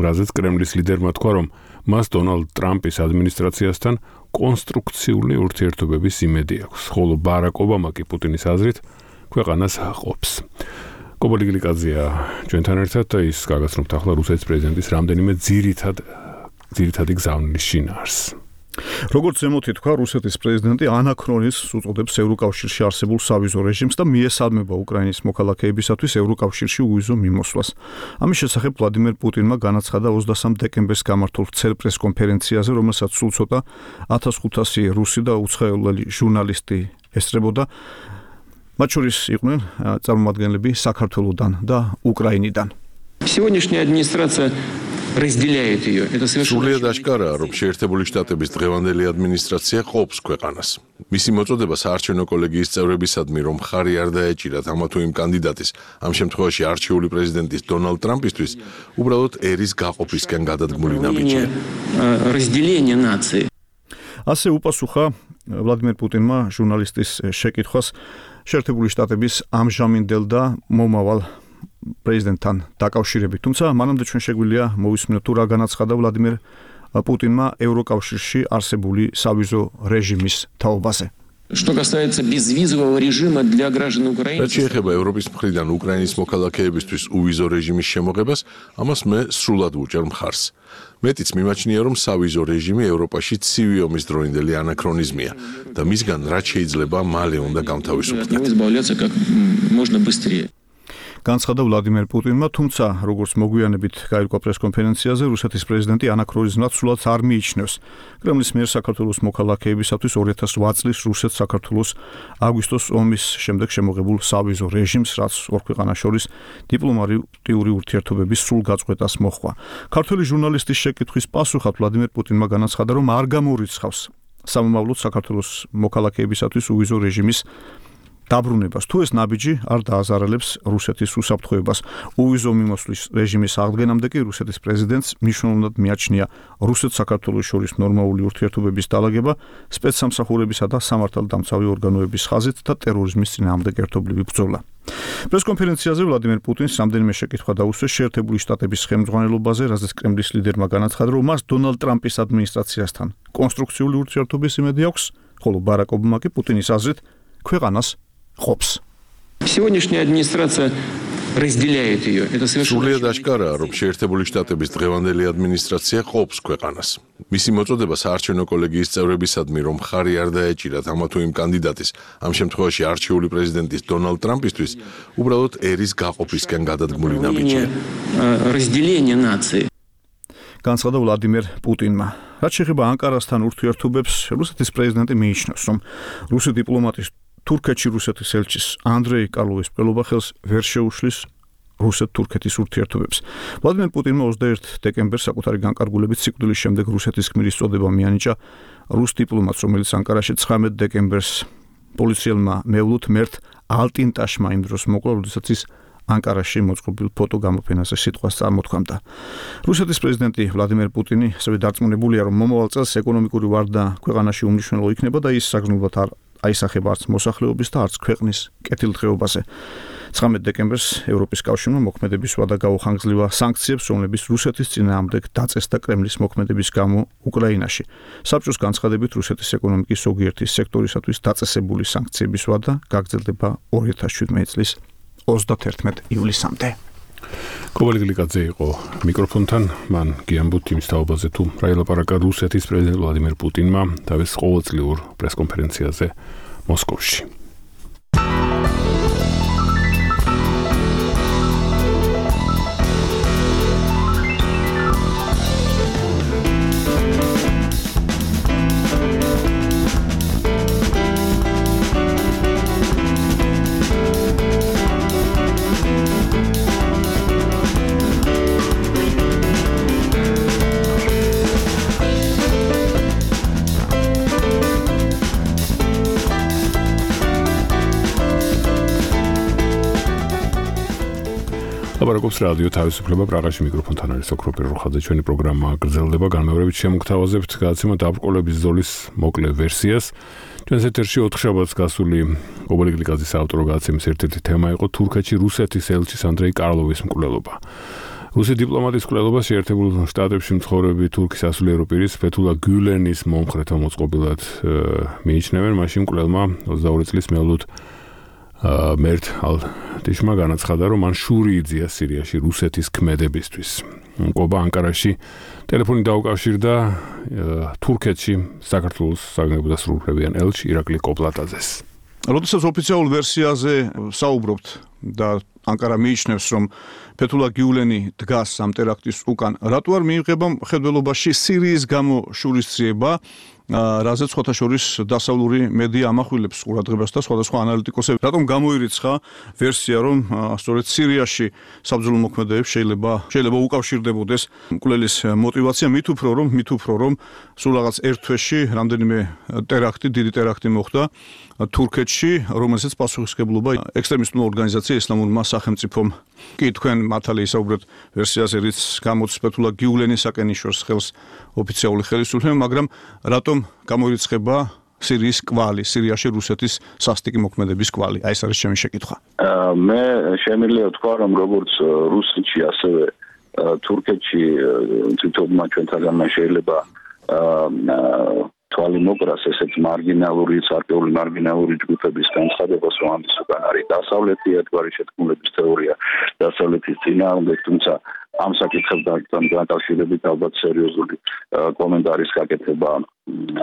რაზეც კრემლის ლიდერმა თქვა, რომ მას დონალდ ტრამპის ადმინისტრაციასთან კონსტრუქციული ურთიერთობების იმედი აქვს, ხოლო ბარაკ ობამა კი პუტინის აზრით ქვეყანას აყობს. კობა ლიკლიკაძეა ჩვენთან ერთად და ის გაგაცნობთ ახლა რუსეთის პრეზიდენტის რამდენიმე ძირითად ძირითადი გზავნილის შინაარს. როგორც ზემოთი თქვა, რუსეთის პრეზიდენტი ანაქრონიზმს უწოდებს ევროკავშირში არსებულ სავიზო რეჟიმს და მიესალმება უკრაინის მოქალაქეებისათვის ევროკავშირში უვიზო მიმოსვლას. ამის შესახებ ვლადიმერ პუტინმა განაცხადა ოცდასამი დეკემბერს გამართულ ვრცელ პრესკონფერენციაზე, რომელსაც სულ ცოტა ათას ხუთასი რუსი და უცხოელი ჟურნალისტი ესწრებოდა. მათ შორის იყვნენ წარმომადგენლები საქართველოდან და უკრაინიდან. Сегодняшняя администрация разделяет ее. Это совершенно სრულიად აშკარაა, რომ შეერთებული შტატების დღევანდელი ადმინისტრაცია ყოფს ქვეყანას. მისი მოწოდება საარჩევნო კოლეგიის წევრებისადმი, რომ ხარი არ დაეჭირათ ამა თუ იმ კანდიდატის, ამ შემთხვევაში არჩეული პრეზიდენტის დონალდ ტრამპისთვის, უბრალოდ ერის გაყოფისკენ გადადგმული ნაბიჯია. разделение нации. ასე უპასუხა ვლადიმერ პუტინმა ჟურნალისტის შეკითხვას შეერთებული შტატების ამჟამინდელ და მომავალ პრეზიდენტთან დაკავშირებით. თუმცა მანამდე ჩვენ შეგვიძლია მოვისმინოთ თუ რა განაცხადა ვლადიმერ პუტინმა ევროკავშირში არსებული სავიზო რეჟიმის თაობაზე. Что касается безвизового режима для граждан Украины. რაც შეეხება ევროპის მხრიდან უკრაინის მოქალაქეებისთვის უვიზო რეჟიმის შემოღებას, ამას მე სრულად ვუჭერ მხარს. მეტიც მიმაჩნია, რომ სავიზო რეჟიმი ევროპაში ცივი ომის დროინდელი ანაქრონიზმია და მისგან რაც შეიძლება მალე უნდა გამთავისუფლდეთ. განცხადა ვლადიმერ პუტინმა, თუმცა როგორც მოგვიანებით გაირკვა პრესკონფერენციაზე, რუსეთის პრეზიდენტი ანაქრონის ნაცვლად არ მიიჩნევს კრემლის მიერ საქართველოს მოქალაქეებისათვის ორი ათას ოთხ წლის რუსეთ-საქართველოს აგვისტოს ომის შემდეგ შემოღებულ სავიზო რეჟიმს, რაც ორ ქვეყანას შორის დიპლომატიური ურთიერთობების სრულ გაწყვეტას მოჰყვა. ქართველი ჟურნალისტის შეკითხვის პასუხად ვლადიმერ პუტინმა განაცხადა, რომ არ გამორიცხავს სამომავლოდ საქართველოს მოქალაქეებისათვის უვიზო რეჟიმის დაბრუნებას. თუ ეს ნაბიჯი არ დააზარალებს რუსეთის უსაფრთხოებას, უვიზო მიმოსვლის რეჟიმის აღდგენამდე კი რუსეთის პრეზიდენტს მნიშვნელოვნად მიაჩნია რუსეთ-საქართველოს შორის ნორმალური ურთიერთობების დალაგება, სპეცსამსახურებისა და სამართალდამცავი ორგანოების ხაზით და ტერორიზმის წინააღმდეგ ერთობლივი ბრძოლა. პრესკონფერენციაზე ვლადიმერ პუტინს რამდენიმე შეკითხვა დაუსვეს შეერთებული შტატების ხელმძღვანელობაზე, რაზეც კრემლის ლიდერმა განაცხადა, რომ მას დონალდ ტრამპის ადმინისტრაციასთან კონსტრუქციული ურთიერთობის იმედი აქვს, ხოლო ბარაკ ობამა კი პუტინის აზრით ქვეყანას ყოფს. Сегодняшняя администрация разделяет ее. Это совершенно სრულიად აშკარაა, რომ შეერთებული შტატების დღევანდელი ადმინისტრაცია ყოფს ქვეყანას. მისი მოწოდება საარჩევნო კოლეგიის წევრებისადმი, რომ ხარი არ დაეჭირათ ამა თუ იმ კანდიდატის, ამ შემთხვევაში არჩეული პრეზიდენტის დონალდ ტრამპისთვის, უბრალოდ ერის გაყოფისკენ გადადგმული ნაბიჯია. разделение нации. განცხადა ვლადიმერ პუტინმა. რაც შეეხება ანკარასთან ურთიერთობებს, რუსეთის პრეზიდენტი მიიჩნევს, რომ რუსი დიპლომატის თურქეთში რუსეთის ელჩის ანდრეი კარლოვის მკვლელობა ხელს ვერ შეუშლის რუსეთ-თურქეთის ურთიერთობებს. ვლადიმერ პუტინმა ოცდაერთი დეკემბერს საკუთარი განკარგულებით სიკვდილის შემდეგ რუსეთის გმირის წოდება მიანიჭა რუს დიპლომატს, რომელიც ანკარაში ცხრამეტ დეკემბერს პოლიციელმა მევლუთ მერტ ალტინტაშმა იმ დროს მოკლა, როდესაც ის ანკარაში მოწყობილ ფოტო გამოფენაზე სიტყვას წარმოთქვამდა. რუსეთის პრეზიდენტი ვლადიმერ პუტინი ასევე დარწმუნებულია, რომ მომავალ წელს ეკონომიკური ვარდა ქვეყანაში უმნიშვნელო იქნება და ის საგრძნობლად არ აისახება არც მოსახლეობის და არც ქვეყნის კეთილდღეობაზე. ცხრამეტ დეკემბერს ევროპის კავშირმა მოქმედების ვადა გაუხანგძლива სანქციებს, რომლებიც რუსეთის წინააღმდეგ დაწესდა კრემლის მოქმედების გამო უკრაინაში. საბჭოს განცხადებით რუსეთის ეკონომიკის ზოგიერთი სექტორისათვის დაწესებული სანქციების ვადა გაგრძელდება ორი ათას შვიდმეტი წლის ოცდაათერთმეტ ივლისამდე. კობალი გლიკაძე იყო მიკროფონთან, მან გიამბოთ იმის თაობაზე, თუ რა ელაპარაკა რუსეთის პრეზიდენტ ვლადიმერ პუტინმა თავის ყოველწლიურ პრესკონფერენციაზე მოსკოვში. ლაპარაკობს რადიო თავისუფლება პრაღაში, მიკროფონთან არის ოქროპირ როხაძე. ჩვენი პროგრამა გრძელდება, განმეორებით შემოგთავაზებთ გადაცემა დაბრკოლების ზოლის მოკლე ვერსიას. ჩვენს ეთერში ოთხშაბათს გასული კობალი გლიკაძის საავტორო გადაცემის ერთ-ერთი თემა იყო თურქეთში რუსეთის ელჩის ანდრეი კარლოვის მკვლელობა. რუსი დიპლომატის მკვლელობა შეერთებულ შტატებში მცხოვრები თურქის სასულიერო პირის ფეთულა გულენის მომხრეთა მოწყობილად მიიჩნევენ. მაშინ მკვლელმა ოცდაორი წლის მევლოდ მერტ ალტიშმა განაცხადა, რომ მან შური იძია სირიაში რუსეთის ქმედებისთვის. ყობა ანკარაში ტელეფონი დაუკავშირდა თურქეთში საქართველოს საგანგებო დასრულებიან ელჩ ირაკლი კოპლატაძეს. როდესაც ოფიციალურ ვერსიაზე საუბრობთ და ანკარა მიიჩნევს, რომ ფეთულა გიულენი დგას ამ ტერაქტის უკან, რატო არ მიიღება მხედველობაში სირიის გამო შურისძიება, რაზეც სხვათა შორის დასავლური მედია ამახვილებს ყურადღებას და სხვადასხვა ანალიტიკოსები რატომ გამოირიცხა ვერსია, რომ სწორედ სირიაში საბრძოლო მოქმედებებს შეიძლება შეიძლება უკავშირდებოდეს მკვლელის мотиваცია, მით უფრო რომ მით უფრო რომ სულ რაღაც ერთ თვეში რამდენიმე ტერაქტი, დიდი ტერაქტი მოხდა თურქეთში, რომელსაც პასუხისმგებლობა ექსტრემისტული ორგანიზაცია ისლამურმა სახელმწიფომ. კი თქვენ მართალი ისაუბრეთ ვერსიაზე, რის გამოც ფეთულა გიულენისაკენ იშორს ხელს ოფიციალური ხელისუფლება, მაგრამ რატომ გამოირიცხება სირიის კვალი, სირიაში რუსეთის სასტიკი მოქმედების კვალი? აი ეს არის ჩემი შეკითხვა. მე შემიძლია ვთქვა, რომ როგორც რუსეთში, ასევე თურქეთში თვითონმა ჩვენთაგანმა შეიძლება თვალი მოკრას ესეთ მარგინალური, სარკეული მარგინალური ჯგუფების განცხადებას, რომ ამის უკან არის დასავლეთი ერთგვარი შეთქმულების თეორია, დასავლეთის წინააღმდეგ, თუმცა ამ საკითხებთან დაკავშირებით ალბათ სერიოზული კომენტარის გაკეთება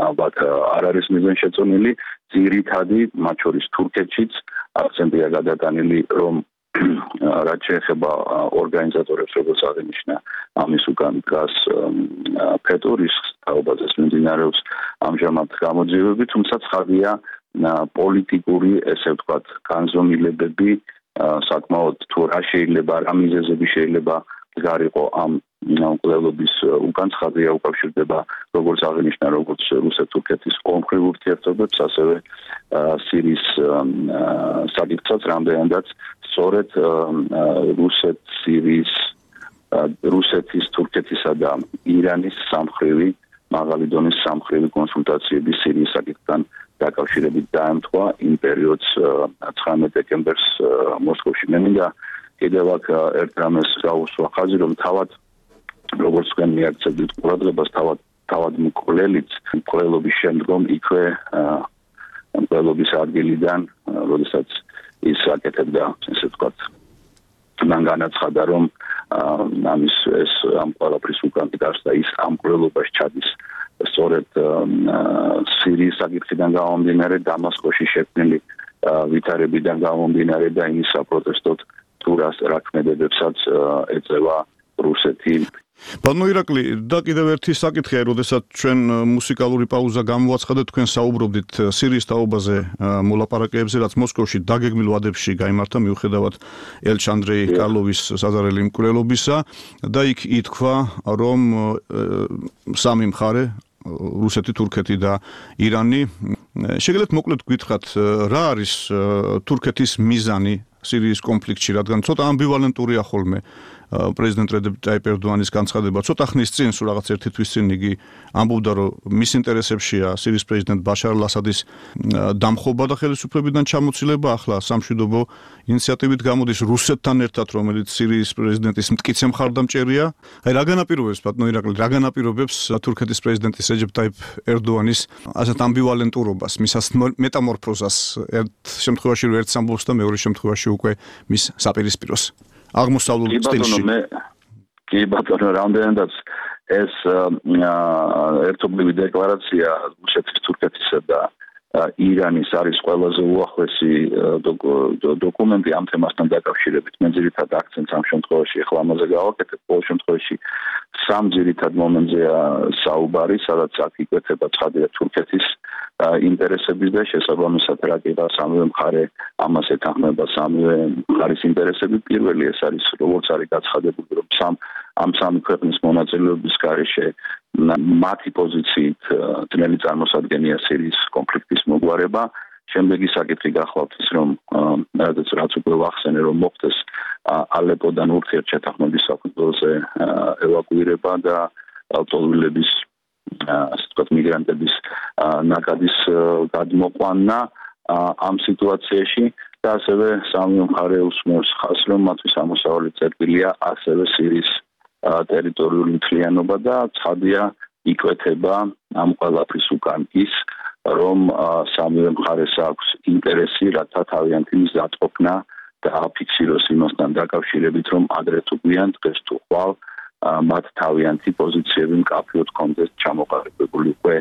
ალბათ არ არის მიზანშეწონილი. ძირითადი, მათ შორის თურქეთშიც აქცენტია გადატანილი, რომ რაც შეეხება ორგანიზატორებს, როგორც აღინიშნა, ამის უკან დგას ფეტურის თაობაზეც მიმდინარეობს ამჟამად გამოძიებები, თუმცა ცხადია პოლიტიკური, ესე ვთქვათ, განზომილებები საკმაოდ თუ რა შეიძლება, რა მიზეზები შეიძლება გარიყო ამ მკვლელობის უკან ცხადია უკავშირდება როგორც აღინიშნა, როგორც რუსეთ-თურქეთის ომხრივ ურთიერთობებს, ასევე სირიის საკითხსაც, რამდენადაც სწორედ რუსეთ-სირიის, რუსეთის, თურქეთისა და ირანის სამხრივი, მაღალი დონის სამხრივი კონსულტაციები სირიის საკითხთან დაკავშირებით დაემთხვა იმ პერიოდს ცხრამეტ დეკემბერს მოსკოვში. მე მინდა კიდევ აქ ერთ რამეს გავუსვა ხაზი, რომ თავად როგორც თქვენ მიაქცევთ ყურადღებას, თავად თავად მკვლელიც მკვლელობის შემდგომ იქვე მკვლელობის ადგილიდან, როდესაც ის აკეთებდა, ესე ვთქვათ, მან განაცხადა, რომ ამის ეს ამ ყველაფრის უკან დგას და ის ამ მკვლელობაში ჩადის სწორედ სირიის საკითხიდან გამომდინარე, დამასკოში შექმნილი ვითარებიდან გამომდინარე და იმის საპროტესტოდ თუ რა ქმედებებსაც ეწევა რუსეთი. ბატონო ირაკლი, და კიდევ ერთი საკითხია, როდესაც ჩვენ მუსიკალური პაუზა გამოვაცხადეთ, თქვენ საუბრობდით სირიის თაობაზე მოლაპარაკებებზე, რაც მოსკოვში დაგეგმილ ვადებში გაიმართა მიუხედავად ელჩ ანდრეი კარლოვის საზარელი მკვლელობისა და იქ ითქვა, რომ სამი მხარე რუსეთი, თურქეთი და ირანი. შეგიძლიათ მოკლედ გითხრათ, რა არის თურქეთის მიზანი სირიის კონფლიქტში, რადგან ცოტა ამბივალენტურია ხოლმე პრეზიდენტ რეჯეპ ტაიპ ერდოანის განცხადება. ცოტა ხნის წინ, სულ რაღაც ერთი თვის წინ იგი ამბობდა, რომ მის ინტერესებშია სირიის პრეზიდენტ ბაშარ ალ-ასადის დამხობა და ხელისუფლებიდან ჩამოცილება. ახლა სამშვიდობო ინიციატივით გამოდის რუსეთთან ერთად, რომელიც სირიის პრეზიდენტის მტკიცე მხარდამჭერია. აი რა განაპირობებს, ბატონო ირაკლი, რა განაპირობებს თურქეთის პრეზიდენტის რეჯეპ ტაიპ ერდოანის ასეთ ამბივალენტურობას, მის მეტამორფოზას, ერთ შემთხვევაში ერთ ამბობს და მეორე შემთხვევაში უკვე მის საპირისპიროს. აღმოსავლურ სტილში. კი ბატონო, რამდენადაც ეს ერთობლივი декларация რუსეთის, თურქეთისა და ირანის არის ყველაზე უახლესი დოკუმენტი ამ თემასთან დაკავშირებით. მე ძირითადად აქცენტს ამ შემთხვევაში ახლა ამაზე გავაკეთებ, ყოველ შემთხვევაში სამ ძირითად მომენტზეა საუბარი, სადაც აქ იკვეთება ცხადია თურქეთის ინტერესების და შესაბამისად რა კიდე სამივე მხარე ამას ეთანხმება სამივე მხარის ინტერესები. პირველი ეს არის, როგორც არის გაცხადებული, რომ სამ ამ სამი ქვეყნის მონაწილეობის გარეშე მათი პოზიციით ძნელი წარმოსადგენია სირიის კონფლიქტის მოგვარება. შემდეგი საკითხი გახლავთ ის, რომ რაც რაც უკვე ვახსენე, რომ მოხდეს ალეპოდან ურთიერთშეთანხმების საფუძველზე ევაკუირება და ავტომობილების ასე ვთქვათ მიგრანტების ნაკადის გადმოყვანა ამ სიტუაციაში და ასევე სამი მხარე უსმენს ხაზს, რომ მათთვის ამოსავალი წერტილია ასევე სირიის ტერიტორიული მთლიანობა და ცხადია იკვეთება ამ ყველაფრის უკან ის, რომ სამივე მხარეს აქვს ინტერესი, რათა თავიანთი მიზატყოფნა და აფიქსიროს იმასთან დაკავშირებით, რომ ადრე თუ გვიან დღეს თუ ხვალ მათ თავიანთი პოზიციები მკაფიოდ კონტექსტ ჩამოყალიბებული უკვე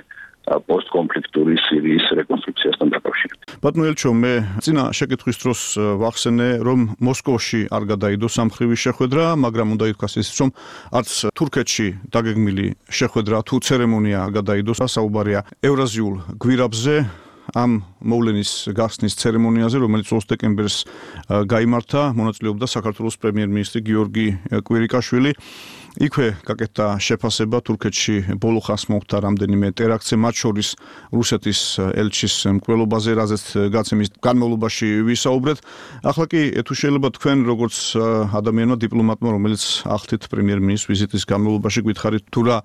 პოსტკონფლიქტური სირიის რეკონსტრუქციასთან დაკავშირებით. ბატონო ელჩო, მე წინა შეკითხვის დროს ვახსენე, რომ მოსკოვში არ გადაიდო სამხრივი შეხვედრა, მაგრამ უნდა ითქვას ის, რომ არც თურქეთში დაგეგმილი შეხვედრა თუ ცერემონია არ გადაიდო, საუბარია ევრაზიულ გვირაბზე, ამ მოვლენის გახსნის ცერემონიაზე, რომელიც ოცდაოთხ დეკემბერს გაიმართა, მონაწილეობდა საქართველოს პრემიერ-მინისტრი გიორგი კვირიკაშვილი. იქვე გაკეთდა შეფასება თურქეთში ბოლო ხანს მოხდა რამდენიმე ტერაქტზე, მათ შორის რუსეთის ელჩის მკვლელობაზე, რაზეც გაცემის განმავლობაში ვისაუბრეთ. ახლა კი თუ შეიძლება თქვენ როგორც ადამიანმა დიპლომატმა, რომელიც ახდით პრემიერ-მინისტრის ვიზიტის განმავლობაში გითხარით თუ რა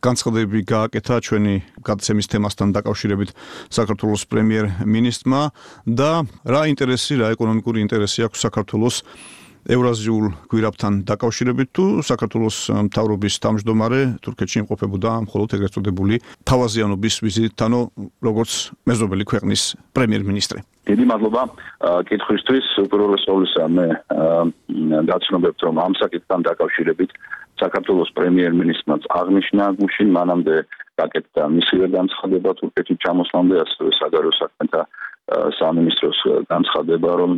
განცხადებები გააკეთა ჩვენი გაცემის თემასთან დაკავშირებით საქართველოს პრემიერ-მინისტრმა და რა ინტერესი, რა ეკონომიკური ინტერესი აქვს საქართველოს ევრაზიულ გვირაბთან დაკავშირებით თუ საქართველოს მთავრობის თავმჯდომარე თურქეთში იმყოფებოდა მხოლოდ ეგრეთ წოდებული თავაზიანობის ვიზიტით, ანუ როგორც მეზობელი ქვეყნის პრემიერ-მინისტრი. დიდი მადლობა კითხვისთვის. უპირველეს ყოვლისა მე გაცნობებთ, რომ ამ საკითხთან დაკავშირებით საქართველოს პრემიერ-მინისტრმაც აღნიშნა გუშინ, მანამდე გაკეთდა მისივე განცხადება თურქეთში ჩამოსვლამდე, ასევე საგარეო საქმეთა სამინისტროს განცხადება, რომ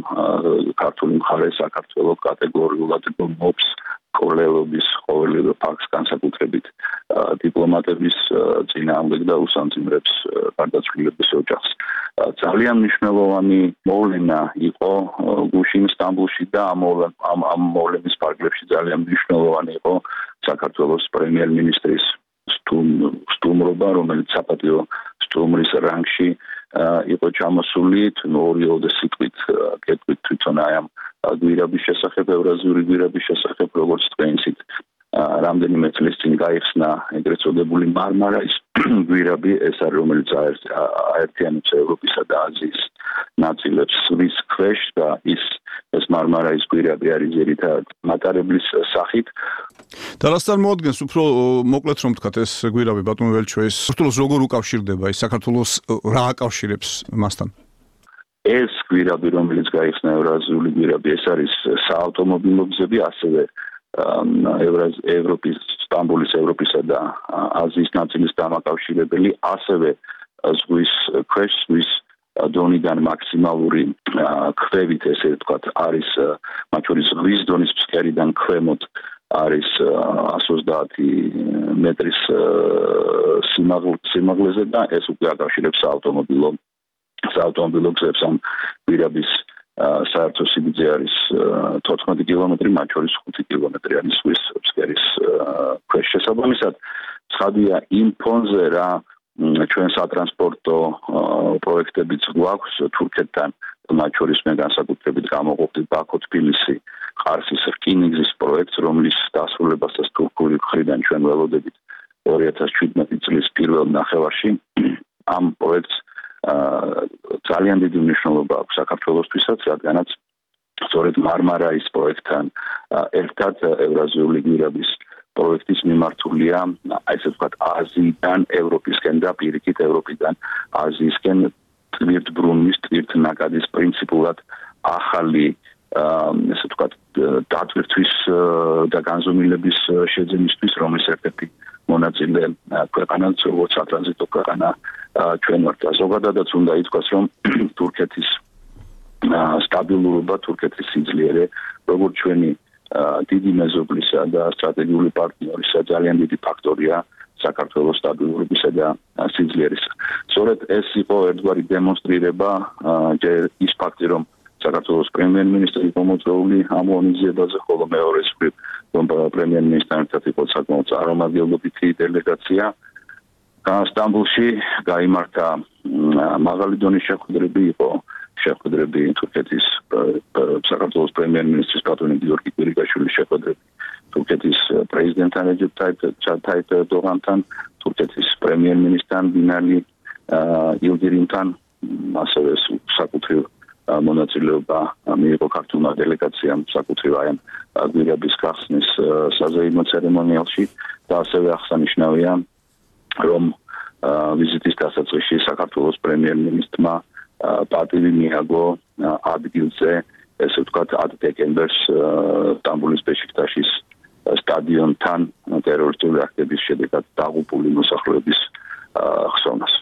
ქართული მხარე საქართველოს კატეგორიულად გმობს კოლელობის ყოველივე ფაქტს განსაკუთრებით დიპლომატების წინააღმდეგ და უსამძიმრებს გარდაცვლილების ოჯახს. ძალიან მნიშვნელოვანი მოვლენა იყო გუშინ სტამბოლში და ამ ამ მოვლენის პარკლებში ძალიან მნიშვნელოვანი იყო საქართველოს პრემიერ-მინისტრის სტუმრობა, რომელიც საპატიო სტუმრის რანგში იყო ჩამოსული, ნორიო და სიტყვით კეთვით თვითონ აი ამ გვირაბის შესახებ, ევრაზიული გვირაბის შესახებ, როგორც თქვენსით რამდენიმე წლის წინ გაიხსნა ეგრეთ წოდებული მარმარაის გვირაბი, ეს არის რომელიც აერთიანებს ევროპისა და აზიის ნაწილებს ვის ქვეშ და ის ეს მარმარაის გვირაბი არის ძირითადად მატარებლის სახით. და რას წარმოადგენს უფრო მოკლედ რომ ვთქვათ ეს გვირაბი ბატონო ველჩოეს, საქართველოს როგორ უკავშირდება ის საქართველოს რა აკავშირებს მასთან? ეს გვირაბი, რომელიც გაიხსნა ევრაზიული გვირაბი, ეს არის საავტომობილო გზები, ასევე ევროპის, სტამბოლის, ევროპისა და აზიის ნაწილის დამაკავშირებელი, ასევე ზღვის ქვეშ, ზღვის დონიდან მაქსიმალური ქვევით, ესე ვთქვათ, არის მათ შორის ზღვის დონის ფსკერიდან ქვემოთ არის εκατს ოცდაათი მეტრის სიმაღლეზე და ეს უკვე აკავშირებს საავტომობილო საავტომობილო გზებს. ამ გვირაბის საერთო სიგრძე არის თოთხმეტი კილომეტრი, მათ შორის ხუთი კილომეტრი არის ზღვის ფსკერის ქვეშ. შესაბამისად, ცხადია იმ ფონზე რა ჩვენ სატრანსპორტო პროექტებიც გვაქვს თურქეთთან, მათ შორის მე განსაკუთრებით გამოყოფდი ბაქო-თბილისი ყარსის რკინიგზის პროექტს, რომლის დასრულებასაც თურქული მხრიდან ჩვენ ველოდებით ორი ათას შვიდმეტი წლის პირველ ნახევარში. ამ პროექტს ძალიან დიდი მნიშვნელობა აქვს საქართველოსთვისაც, რადგანაც სწორედ მარმარაის პროექტთან ერთად ევრაზიული გვირაბის პროექტის მიმართულია, ესე ვთქვათ, აზიიდან ევროპისკენ და პირიქით ევროპიდან აზიისკენ ტვირთბრუნვის, ტვირთნაკადის პრინციპულად ახალი ესე ვთქვათ, დატვირთვის და განზომილების შეძენისთვის, რომლის ერთ-ერთი მონაწილე ქვეყანაც როგორც სატრანზიტო ქვეყანა ჩვენ ვართ. ზოგადადაც უნდა ითქვას, რომ თურქეთის სტაბილურობა, თურქეთის სიძლიერე, როგორც ჩვენი დიდი მეზობლისა და სტრატეგიული პარტნიორისა ძალიან დიდი ფაქტორია საქართველოს სტაბილურობისა და სიძლიერისა. სწორედ ეს იყო ერთგვარი დემონსტრირება ის ფაქტი, რომ საქართველოს პრემიერ-მინისტრი იყო მოწვეული ამ ღონისძიებაზე, ხოლო მეორე მხრივ რომ პრემიერ-მინისტრთან ერთად იყო საკმაოდ წარმომადგენლობითი დელეგაცია. სტამბოლში გაიმართა მაღალი დონის შეხვედრები, იყო შეხვედრები თურქეთის საქართველოს პრემიერ-მინისტრის ბატონი გიორგი კვირიკაშვილის შეხვედრები თურქეთის პრეზიდენტთან რეჯეპ ტაიპ ერდოღანთან, თურქეთის პრემიერ-მინისტრთან ბინალი ილდირიმთან, ასევე საკუთრივ მონაწილეობა მიიღო ქართულმა დელეგაციამ საკუთრივ აი ამ გვირაბის გახსნის საზეიმო ცერემონიალში და ასევე აღსანიშნავია, რომ ვიზიტის დასაწყისში საქართველოს პრემიერ-მინისტრმა პატივი მიაგო ადგილზე, ესე ვთქვათ, ათ დეკემბერს სტამბოლის ბეშიქტაშის სტადიონთან ტერორისტული აქტების შედეგად დაღუპული მოსახლეობის ხსოვნას.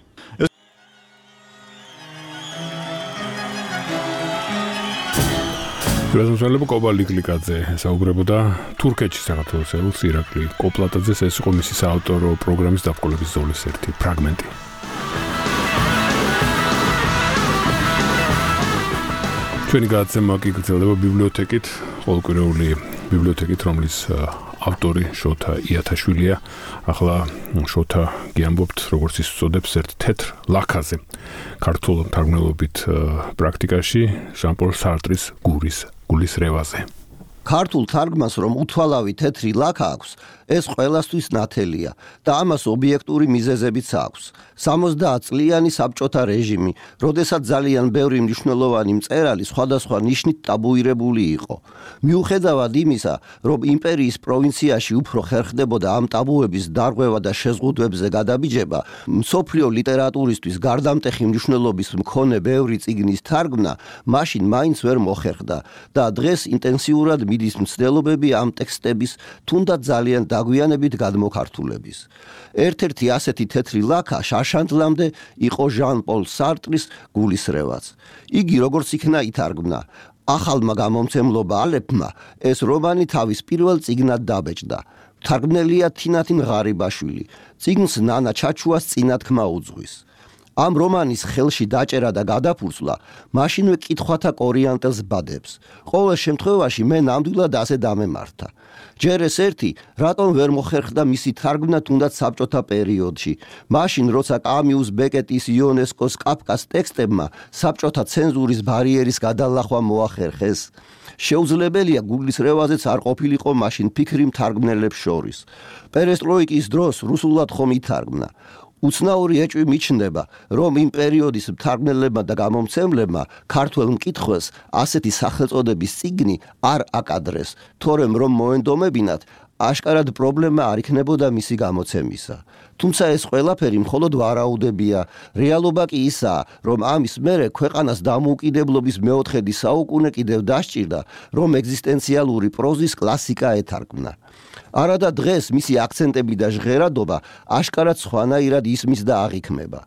პრეზიდენტი კობა ლიკლიკაძე საუბრებოდა თურქეთში საქართველოს ელჩი ირაკლი კოპლატაძეს, ეს იყო მისი საავტორო პროგრამის დაბრკოლების ზოლის ერთი ფრაგმენტი. ჩვენი გადაცემა კი გრძელდება ბიბლიოთეკით, ყოველკვირეული ბიბლიოთეკით, რომლის ავტორი შოთა იათაშვილია. ახლა შოთა გიამბობთ, როგორც ის უწოდებს, ერთ თეთრ ლაქაზე ქართულ მთარგმნელობით პრაქტიკაში ჟან-პოლ სარტრის გურის გულის რევაზე. ქართულ თარგმანს რომ უთვალავი თეთრი ლაქა აქვს, ეს ყველასთვის ნათელია და ამას ობიექტური მიზეზებიც აქვს. სამოცდაათ წლიანი საბჭოთა რეჟიმი, როდესაც ძალიან ბევრი მნიშვნელოვანი მწერალი სხვადასხვა ნიშნით ტაბუირებული იყო. მიუხედავად იმისა, რომ იმპერიის პროვინციაში უფრო ხერხდებოდა ამ ტაბუების დარღვევა და შეზღუდვებზე გადაბიჯება, მსოფლიო ლიტერატურისთვის გარდამტეხი მნიშვნელობის მქონე ბევრი წიგნის თარგმნა მაშინ მაინც ვერ მოხერხდა და დღეს ინტენსიურად მიდის მცდელობები ამ ტექსტების თუნდაც ძალიან დაგვიანებით გადმოქართულების. ერთ-ერთი ასეთი თეთრი ლაქა შარშანტლამდე იყო ჟან-პოლ სარტრის გულისრევაც. იგი როგორც იქნა ითარგმნა, ახალმა გამომცემლობა ალეფმა ეს რომანი თავის პირველ წიგნად დაბეჭდა. თარგმნელია თინათინ ღარიბაშვილი. წიგნს ნანა ჩაჩუას წინათქმა უძღვის. ამ რომანის ხელში დაჭერა და გადაფურცვლა მაშინვე კითხვათა კორიანტელს ბადებს. ყოველ შემთხვევაში მე ნამდვილად ასე დამემართა. ჯერ ეს ერთი, რატომ ვერ მოხერხდა მისი თარგმნა თუნდაც საბჭოთა პერიოდში. მაშინ როცა კამიუს, ბეკეტის, იონესკოს, კაფკას ტექსტებმა საბჭოთა ცენზურის ბარიერის გადალახვა მოახერხეს. შეუძლებელია გულისრევაზეც არ ყოფილიყო მაშინ ფიქრი მთარგმნელებს შორის. პერესტროიკის დროს რუსულად ხომ ითარგმნა. უცნაური ეჭვი მიჩნდება, რომ იმ პერიოდის მთარგმნელებმა და გამომცემლებმა ქართველ მკითხველს ასეთი სახელწოდების წიგნი არ აკადრეს, თორემ რომ მოენდომებინათ, აშკარად პრობლემა არ იქნებოდა მისი გამოცემისა. თუმცა ეს ყველაფერი მხოლოდ ვარაუდებია. რეალობა კი ისაა, რომ ამის მერე ქვეყანას დამოუკიდებლობის მეოთხედი საუკუნე კიდევ დასჭირდა, რომ ეგზისტენციალური პროზის კლასიკა ეთარგმნა. არადა დღეს მისი აქცენტები და ჟღერადობა აშკარად სხვანაირად ისმის და აღიქმება.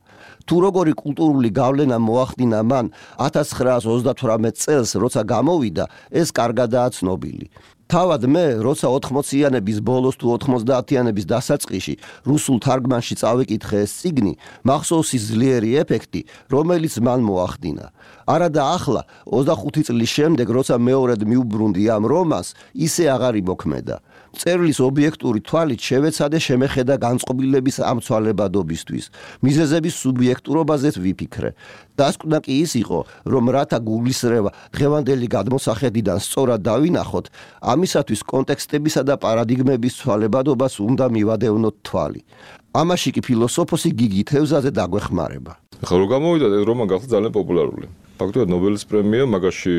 თუ როგორი კულტურული გავლენა მოახდინა მან ათას ცხრაას ოცდათვრამეტ წელს, როცა გამოვიდა, ეს კარგადაა ცნობილი. თავად მე, როცა ოთხმოციანების ბოლოს თუ ოთხმოცდაათიანების დასაწყისში რუსულ თარგმანში წავიკითხე ეს წიგნი, მახსოვს ის ძლიერი ეფექტი, რომელიც მან მოახდინა. არადა ახლა, ოცდახუთი წლის შემდეგ, როცა მეორედ მიუბრუნდი ამ რომანს, ისე აღარ იმოქმედა. წერლის ობიექტური თვალით შევეცადე შემეხედა განწყობილების ამ ცვალებადობისთვის, მიზეზების სუბიექტურობაზეც ვიფიქრე. დასკვნა კი ის იყო, რომ რათა გულისრევა დღევანდელი გადმოსახედიდან სწორად დავინახოთ, ამისათვის კონტექსტებისა და პარადიგმების ცვალებადობას უნდა მივადევნოთ თვალი. ამაში კი ფილოსოფოსი გიგი თევზაძე დაგვეხმარება. ახლა რომ გამოვიდა რომანი გახდა ძალიან პოპულარული. ფაქტობრივად ნობელის პრემია მაგაში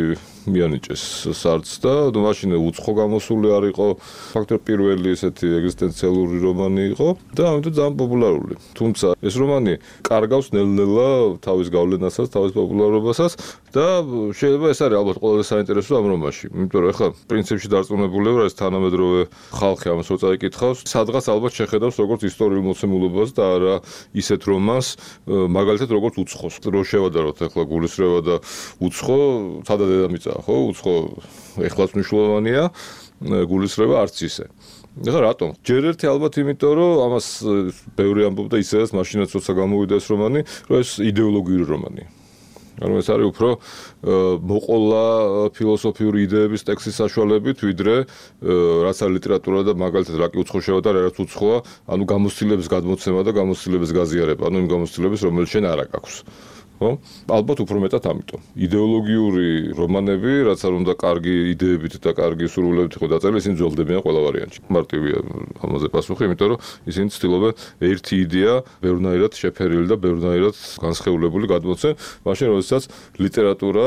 მიანიჭეს სარცს და მაშინ უცხო გამოსული არ იყო, ფაქტობრივად პირველი ესეთი ეგზისტენციალური რომანი იყო და ამიტომ ძალიან პოპულარული. თუმცა ეს რომანი კარგავს ნელ-ნელა თავის გავლენასაც, თავის პოპულარობასაც და შეიძლება ეს არის ალბათ ყველაზე საინტერესო ამ რომანში. იმიტომ რომ ახლა პრინციპში დარწმუნებული ვარ, ეს თანამედროვე ხალხი ამას რო წაიკითხავს, სადღაც ალბათ შეხედავს როგორც ისტორიულ მოცემულობას და არა ისეთ რომანს, მაგალითად როგორც უცხოს. რო შევადაროთ ახლა გულისრევა და უცხო, სადა დედამიწაა, ხო? უცხო ეხლაც მნიშვნელოვანია, გულისრევა არც ისე. ეხლა რატომ? ჯერ ერთი ალბათ იმიტომ, რომ ამას ბევრი ამბობდა ისედაც მაშინაც როცა გამოვიდა ეს რომანი, რომ ეს იდეოლოგიური რომანია. ანუ ეს არის უფრო მოყოლა ფილოსოფიური იდეების ტექსტის საშუალებით, ვიდრე რაც არის ლიტერატურა და მაგალითად რა კი უცხო შევადარ, რაც უცხოა, ანუ გამოცდილების გადმოცემა და გამოცდილების გაზიარება, ანუ იმ გამოცდილების, რომელიც შენ არ აქვს. ხო? ალბათ უფრო მეტად ამიტომ. იდეოლოგიური რომანები, რაც არ უნდა კარგი იდეებით და კარგი სურვილებით იყო დაწერილი, ისინი ძველდებიან ყველა ვარიანტში. მარტივია ამაზე პასუხი, იმიტომ რომ ისინი ცდილობენ ერთი იდეა ბევრნაირად შეფერილი და ბევრნაირად განსხეულებული გადმოცემ, მაშინ როდესაც ლიტერატურა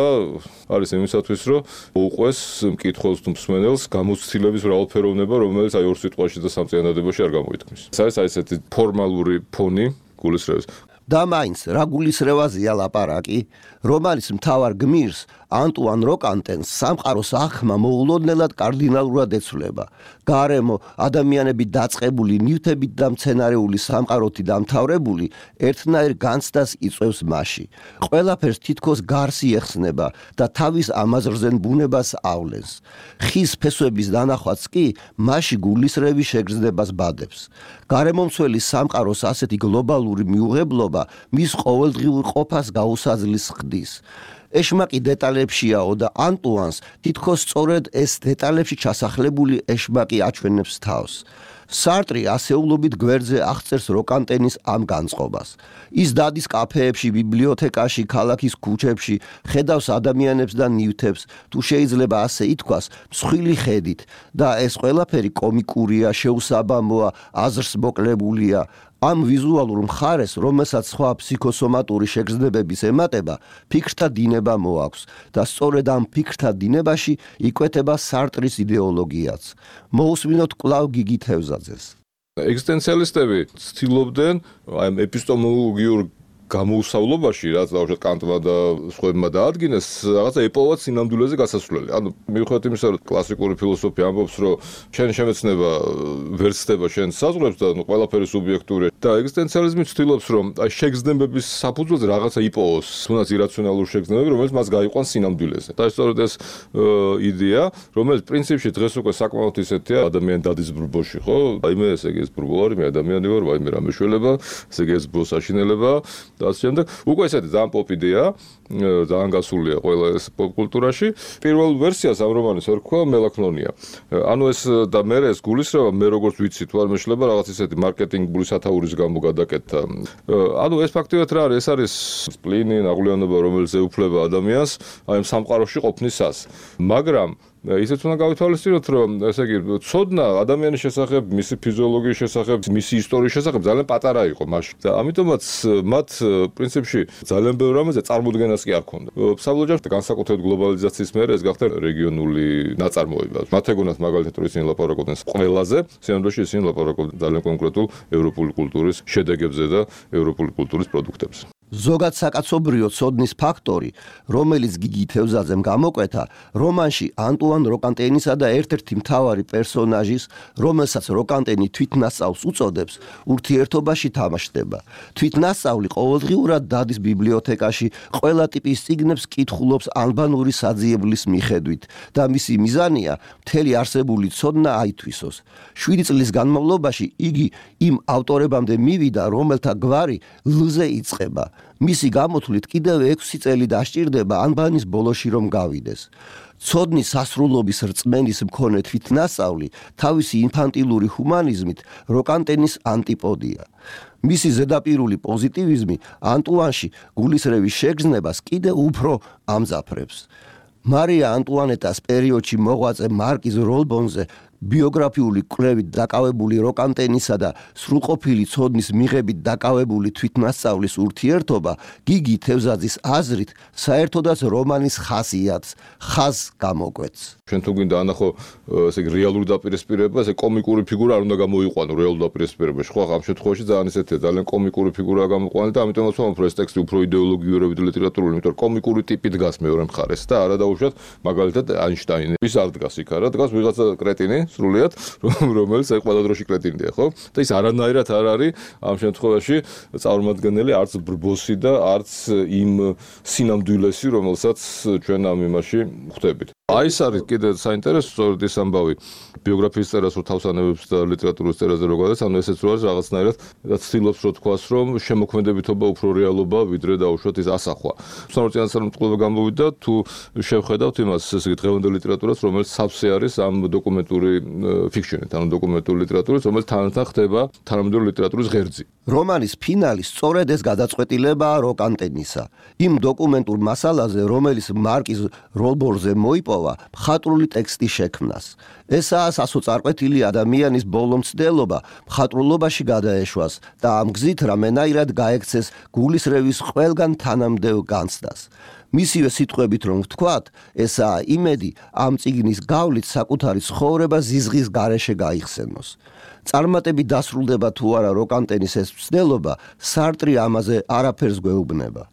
არის იმისათვის, რომ უყვეს მკითხველს თუ მსმენელს გამოცდილების მრავალფეროვნება, რომელიც აი ორ სიტყვაში და სამ წინადადებაში არ გამოითქმის. ეს არის აი ესეთი ფორმალური ფონი გულისრევის. და მაინც რა გულისრევაზია ლაპარაკი, რომანის მთავარ გმირს ანტუან როკანტენს სამყაროს აღქმა მოულოდნელად კარდინალურად ეცვლება. გარემო ადამიანები დაწყებული ნივთებით და მცენარეული სამყაროთი დამთავრებული ერთნაირ განცდას იწვევს მასში. ყველაფერს თითქოს გარსი ეხსნება და თავის ამაზრზენ ბუნებას ავლენს. ხის ფესვების დანახვაც კი მასში გულისრევის შეგრძნებას ბადებს. გარემომცველი სამყაროს ასეთი გლობალური მიუღებლობა მის ყოველდღიურ ყოფას გაუსაძლის ხდის. ეშმაკი დეტალებშიაო და ანტუანს თითქოს სწორედ ეს დეტალებში ჩასახლებული ეშმაკი აჩვენებს თავს. სარტრი ასეულობით გვერდზე აღწერს როკანტენის ამ განწყობას. ის დადის კაფეებში, ბიბლიოთეკაში, ქალაქის ქუჩებში, ხედავს ადამიანებს და ნივთებს, თუ შეიძლება ასე ითქვას, მსხვილი ხედით და ეს ყველაფერი კომიკურია, შეუსაბამოა, აზრს მოკლებულია. ამ ვიზუალურ მხარეს, რომელსაც სხვა ფსიქოსომატური შეგრძნებების ემატება, ფიქრთა დინება მოაქვს და სწორედ ამ ფიქრთა დინებაში იკვეთება სარტრის იდეოლოგიაც. მოусმინოთ კვლავ გიგი თევზაძეს. ეგზისტენციალისტები ცდილობდნენ აი ეპისტემოლოგიურ გამოუსავლობაში, რაც დაუშვათ კანტმა და სხვებმა დაადგინეს, რაღაცა ეპოვათ სინამდვილეზე გასასვლელი. ანუ მიუხედავად იმისა, რომ კლასიკური ფილოსოფია ამბობს, რომ შენ შემეცნება ვერ ცდება შენ საზღვრებს და ნუ ყველაფერი სუბიექტურია და ეგზისტენციალიზმი ცდილობს, რომ აი შეგრძნებების საფუძველზე რაღაცა იპოვოს, თუნდაც ირაციონალური შეგრძნებები, რომელიც მას გაიყვანს სინამდვილეზე. და სწორედ ეს იდეა, რომელიც პრინციპში დღეს უკვე საკმაოდ ისეთია, ადამიანი დადის ბრბოში, ხო? აი მე ესე იგი ეს ბრბო ვარ, მე ადამიანი ვარ, ვაიმე რა მეშველება, ესე იგი ეს ბრბოს აშინელება და ასე შემდეგ. უკვე ესეთი ძალიან პოპ იდეა, ძალიან გასულია ყველა ეს პოპ კულტურაში. პირველ ვერსიას ამ რომანის ერქვა მელაქნონია. ანუ ეს და მე ეს გულისრევა მე როგორც ვიცი თუ არ მეშლება რაღაც ისეთი მარკეტინგული სათაურის გამო გადაკეთდა. ანუ ეს ფაქტიურად რა არის? ეს არის სპლინი, ნაღვლიანობა, რომელიც ეუფლება ადამიანს აი ამ სამყაროში ყოფნისას. მაგრამ ისეც უნდა გავითვალისწინოთ, რომ ესე იგი ცოდნა ადამიანის შესახებ, მისი ფიზიოლოგიის შესახებ, მისი ისტორიის შესახებ ძალიან პატარა იყო მაშინ. და ამიტომაც მათ პრინციპში ძალიან ბევრ რამეზე წარმოდგენას კი არ ქონდა. საბოლოოდ განსაკუთრებით გლობალიზაციის მერე ეს გახდა რეგიონული ნაწარმოება. მათ ეგონათ მაგალითად რომ ისინი ლაპარაკობდნენ ყველაზე, სინამდვილეში ისინი ლაპარაკობდნენ ძალიან კონკრეტულ ევროპული კულტურის შედეგებზე და ევროპული კულტურის პროდუქტებზე. ზოგად საკაცობრიო ცოდნის ფაქტორი, რომელიც გიგი თევზაძემ გამოკვეთა, რომანში ანტუან როკანტენისა და ერთ-ერთი მთავარი პერსონაჟის, რომელსაც როკანტენი თვითნასწავლს უწოდებს, ურთიერთობაში თამაშდება. თვითნასწავლი ყოველდღიურად დადის ბიბლიოთეკაში, ყველა ტიპის წიგნებს კითხულობს ალბანური საძიებლის მიხედვით და მისი მიზანია მთელი არსებული ცოდნა აითვისოს. შვიდი წლის განმავლობაში იგი იმ ავტორებამდე მივიდა, რომელთა გვარი ლ-ზე იწყება. მისი გამოთვლით კიდევ ექვსი წელი დასჭირდება ანბანის ბოლოში რომ გავიდეს. ცოდნის სასრულობის რწმენის მქონე თვითნასწავლი თავისი ინფანტილური ჰუმანიზმით როკანტენის ანტიპოდია. მისი ზედაპირული პოზიტივიზმი ანტუანში გულისრევის შეგრძნებას კიდევ უფრო ამძაფრებს. მარია ანტუანეტას პერიოდში მოღვაწე მარკიზ როლბონზე ბიოგრაფიული კვლევით დაკავებული როკანტენისა და სრულყოფილი ცოდნის მიღებით დაკავებული თვითნასწავლის ურთიერთობა გიგი თევზაძის აზრით საერთოდაც რომანის ხასიათს ხაზს გამოკვეთს. ჩვენ თუ გვინდა ანახო ესე იგი რეალური დაპირისპირება, ესე კომიკური ფიგურა არ უნდა გამოიყვანო რეალურ დაპირისპირებაში. ხო, ამ შემთხვევაში ძალიან ესეთია, ძალიან კომიკური ფიგურაა გამოყვანილი და ამიტომაც ვამბობ, რომ ეს ტექსტი უფრო იდეოლოგიური და ლიტერატურული, იმიტომ რომ კომიკური ტიპი დგას მეორე მხარეს და არა დაუშვათ მაგალითად აინშტაინი. ის არ დგას იქ, არა, დგას ვიღაცა კრეტინი სრულიად, რომელიც აი ყველა დროში კრეტინია, ხო? და ის არანაირად არ არის ამ შემთხვევაში წარმომადგენელი არც ბრბოსი და არც იმ სინამდვილესი, რომელსაც ჩვენ ამ იმაში ხვდებით. აი ეს არის კიდე საინტერესო სწორედ ეს ამბავი ბიოგრაფიის წერას რო თავსანებებს და ლიტერატურის წერაზე რო გადადის, ანუ ესეც რო არის რაღაცნაირად და ცდილობს რო თქვას, რომ შემოქმედებითობა უფრო რეალობა ვიდრე დაუშვათ ის ასახვა. უცნაურ წინასწარმეტყველება გამოვიდა თუ შევხედავთ იმას, ესე იგი დღევანდელ ლიტერატურას, რომელიც სავსე არის ამ დოკუმენტური ფიქშენით, ანუ დოკუმენტური ლიტერატურით, რომელიც თანათან ხდება თანამედროვე ლიტერატურის ღერძი. რომანის ფინალი სწორედ ეს გადაწყვეტილებაა როკანტენისა. იმ დოკუმენტურ მასალაზე, რომელიც მარკიზ როლბორზე მოიპოვა, მხატვრული ტექსტი შექმნას. ესაა სასოწარკვეთილი ადამიანის ბოლომცდელობა მხატვრულობაში გადაეშვას და ამ გზით რამენაირად გაექცეს გულისრევის ყველგან თანამდებო განცდას. მისივე სიტყვებით რომ ვთქვათ, ესაა იმედი ამ წიგნის გავლით საკუთარი ცხოვრება ზიზღის გარეშე გაიხსენოს. წარმატები დასრულდება თუ არა როკანტენის ეს მცდელობა, სარტრი ამაზე არაფერს გვეუბნება.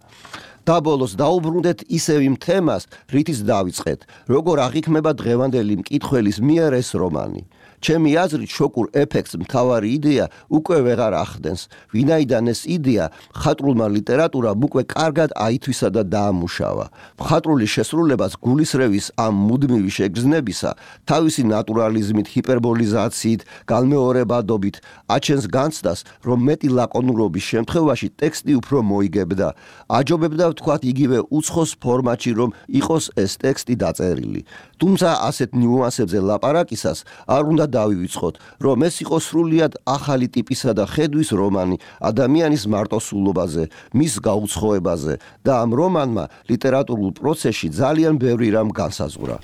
და ბოლოს დაუბრუნდეთ ისევ იმ თემას, რითიც დავიწყეთ, როგორ აღიქმება დღევანდელი მკითხველის მიერ ეს რომანი. ჩემი აზრით შოკურ ეფექტს მთავარი იდეა უკვე ვეღარ ახდენს, ვინაიდან ეს იდეა მხატვრულმა ლიტერატურამ უკვე კარგად აითვისა და დაამუშავა. მხატვრული შესრულებას გულისრევის ამ მუდმივი შეგრძნებისა, თავისი ნატურალიზმით, ჰიპერბოლიზაციით, განმეორებადობით აჩენს განცდას, რომ მეტი ლაკონურობის შემთხვევაში ტექსტი უფრო მოიგებდა. აჯობებდა ვთქვათ იგივე უცხოს ფორმატში, რომ იყოს ეს ტექსტი დაწერილი. თუმცა ასეთ ნიუანსებზე ლაპარაკისას არ უნდა დავივიწყოთ, რომ ეს იყო სრულიად ახალი ტიპისა და ხედვის რომანი ადამიანის მარტოსულობაზე, მის გაუცხოებაზე და ამ რომანმა ლიტერატურულ პროცესში ძალიან ბევრი რამ განსაზღვრა.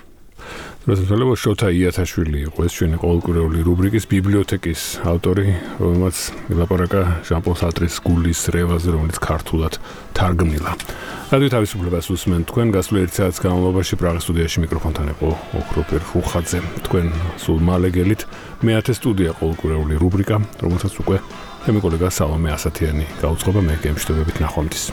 როდესაც შოთა იათაშვილი იყო ეს ჩვენი ყოველკვირეული რუბრიკის ბიბლიოთეკის ავტორი, რომელმაც ლაპარაკა ჟან-პოლ სარტრის გულის რევაზე, რომელიც ქართულად თარგმნილა. რადიო თავისუფლებას უსმენთ თქვენ გასული ერთი საათის განმავლობაში პრაღის სტუდიაში მიკროფონთან იყო ოქროპერ ხუხაძე. თქვენ სულ მალე გელით მეათე სტუდია ყოველკვირეული რუბრიკა, რომელსაც უკვე და მე კოლეგა სალომე ასათიანი გაუწყობა მე გემშვიდობებით ნახვამდის.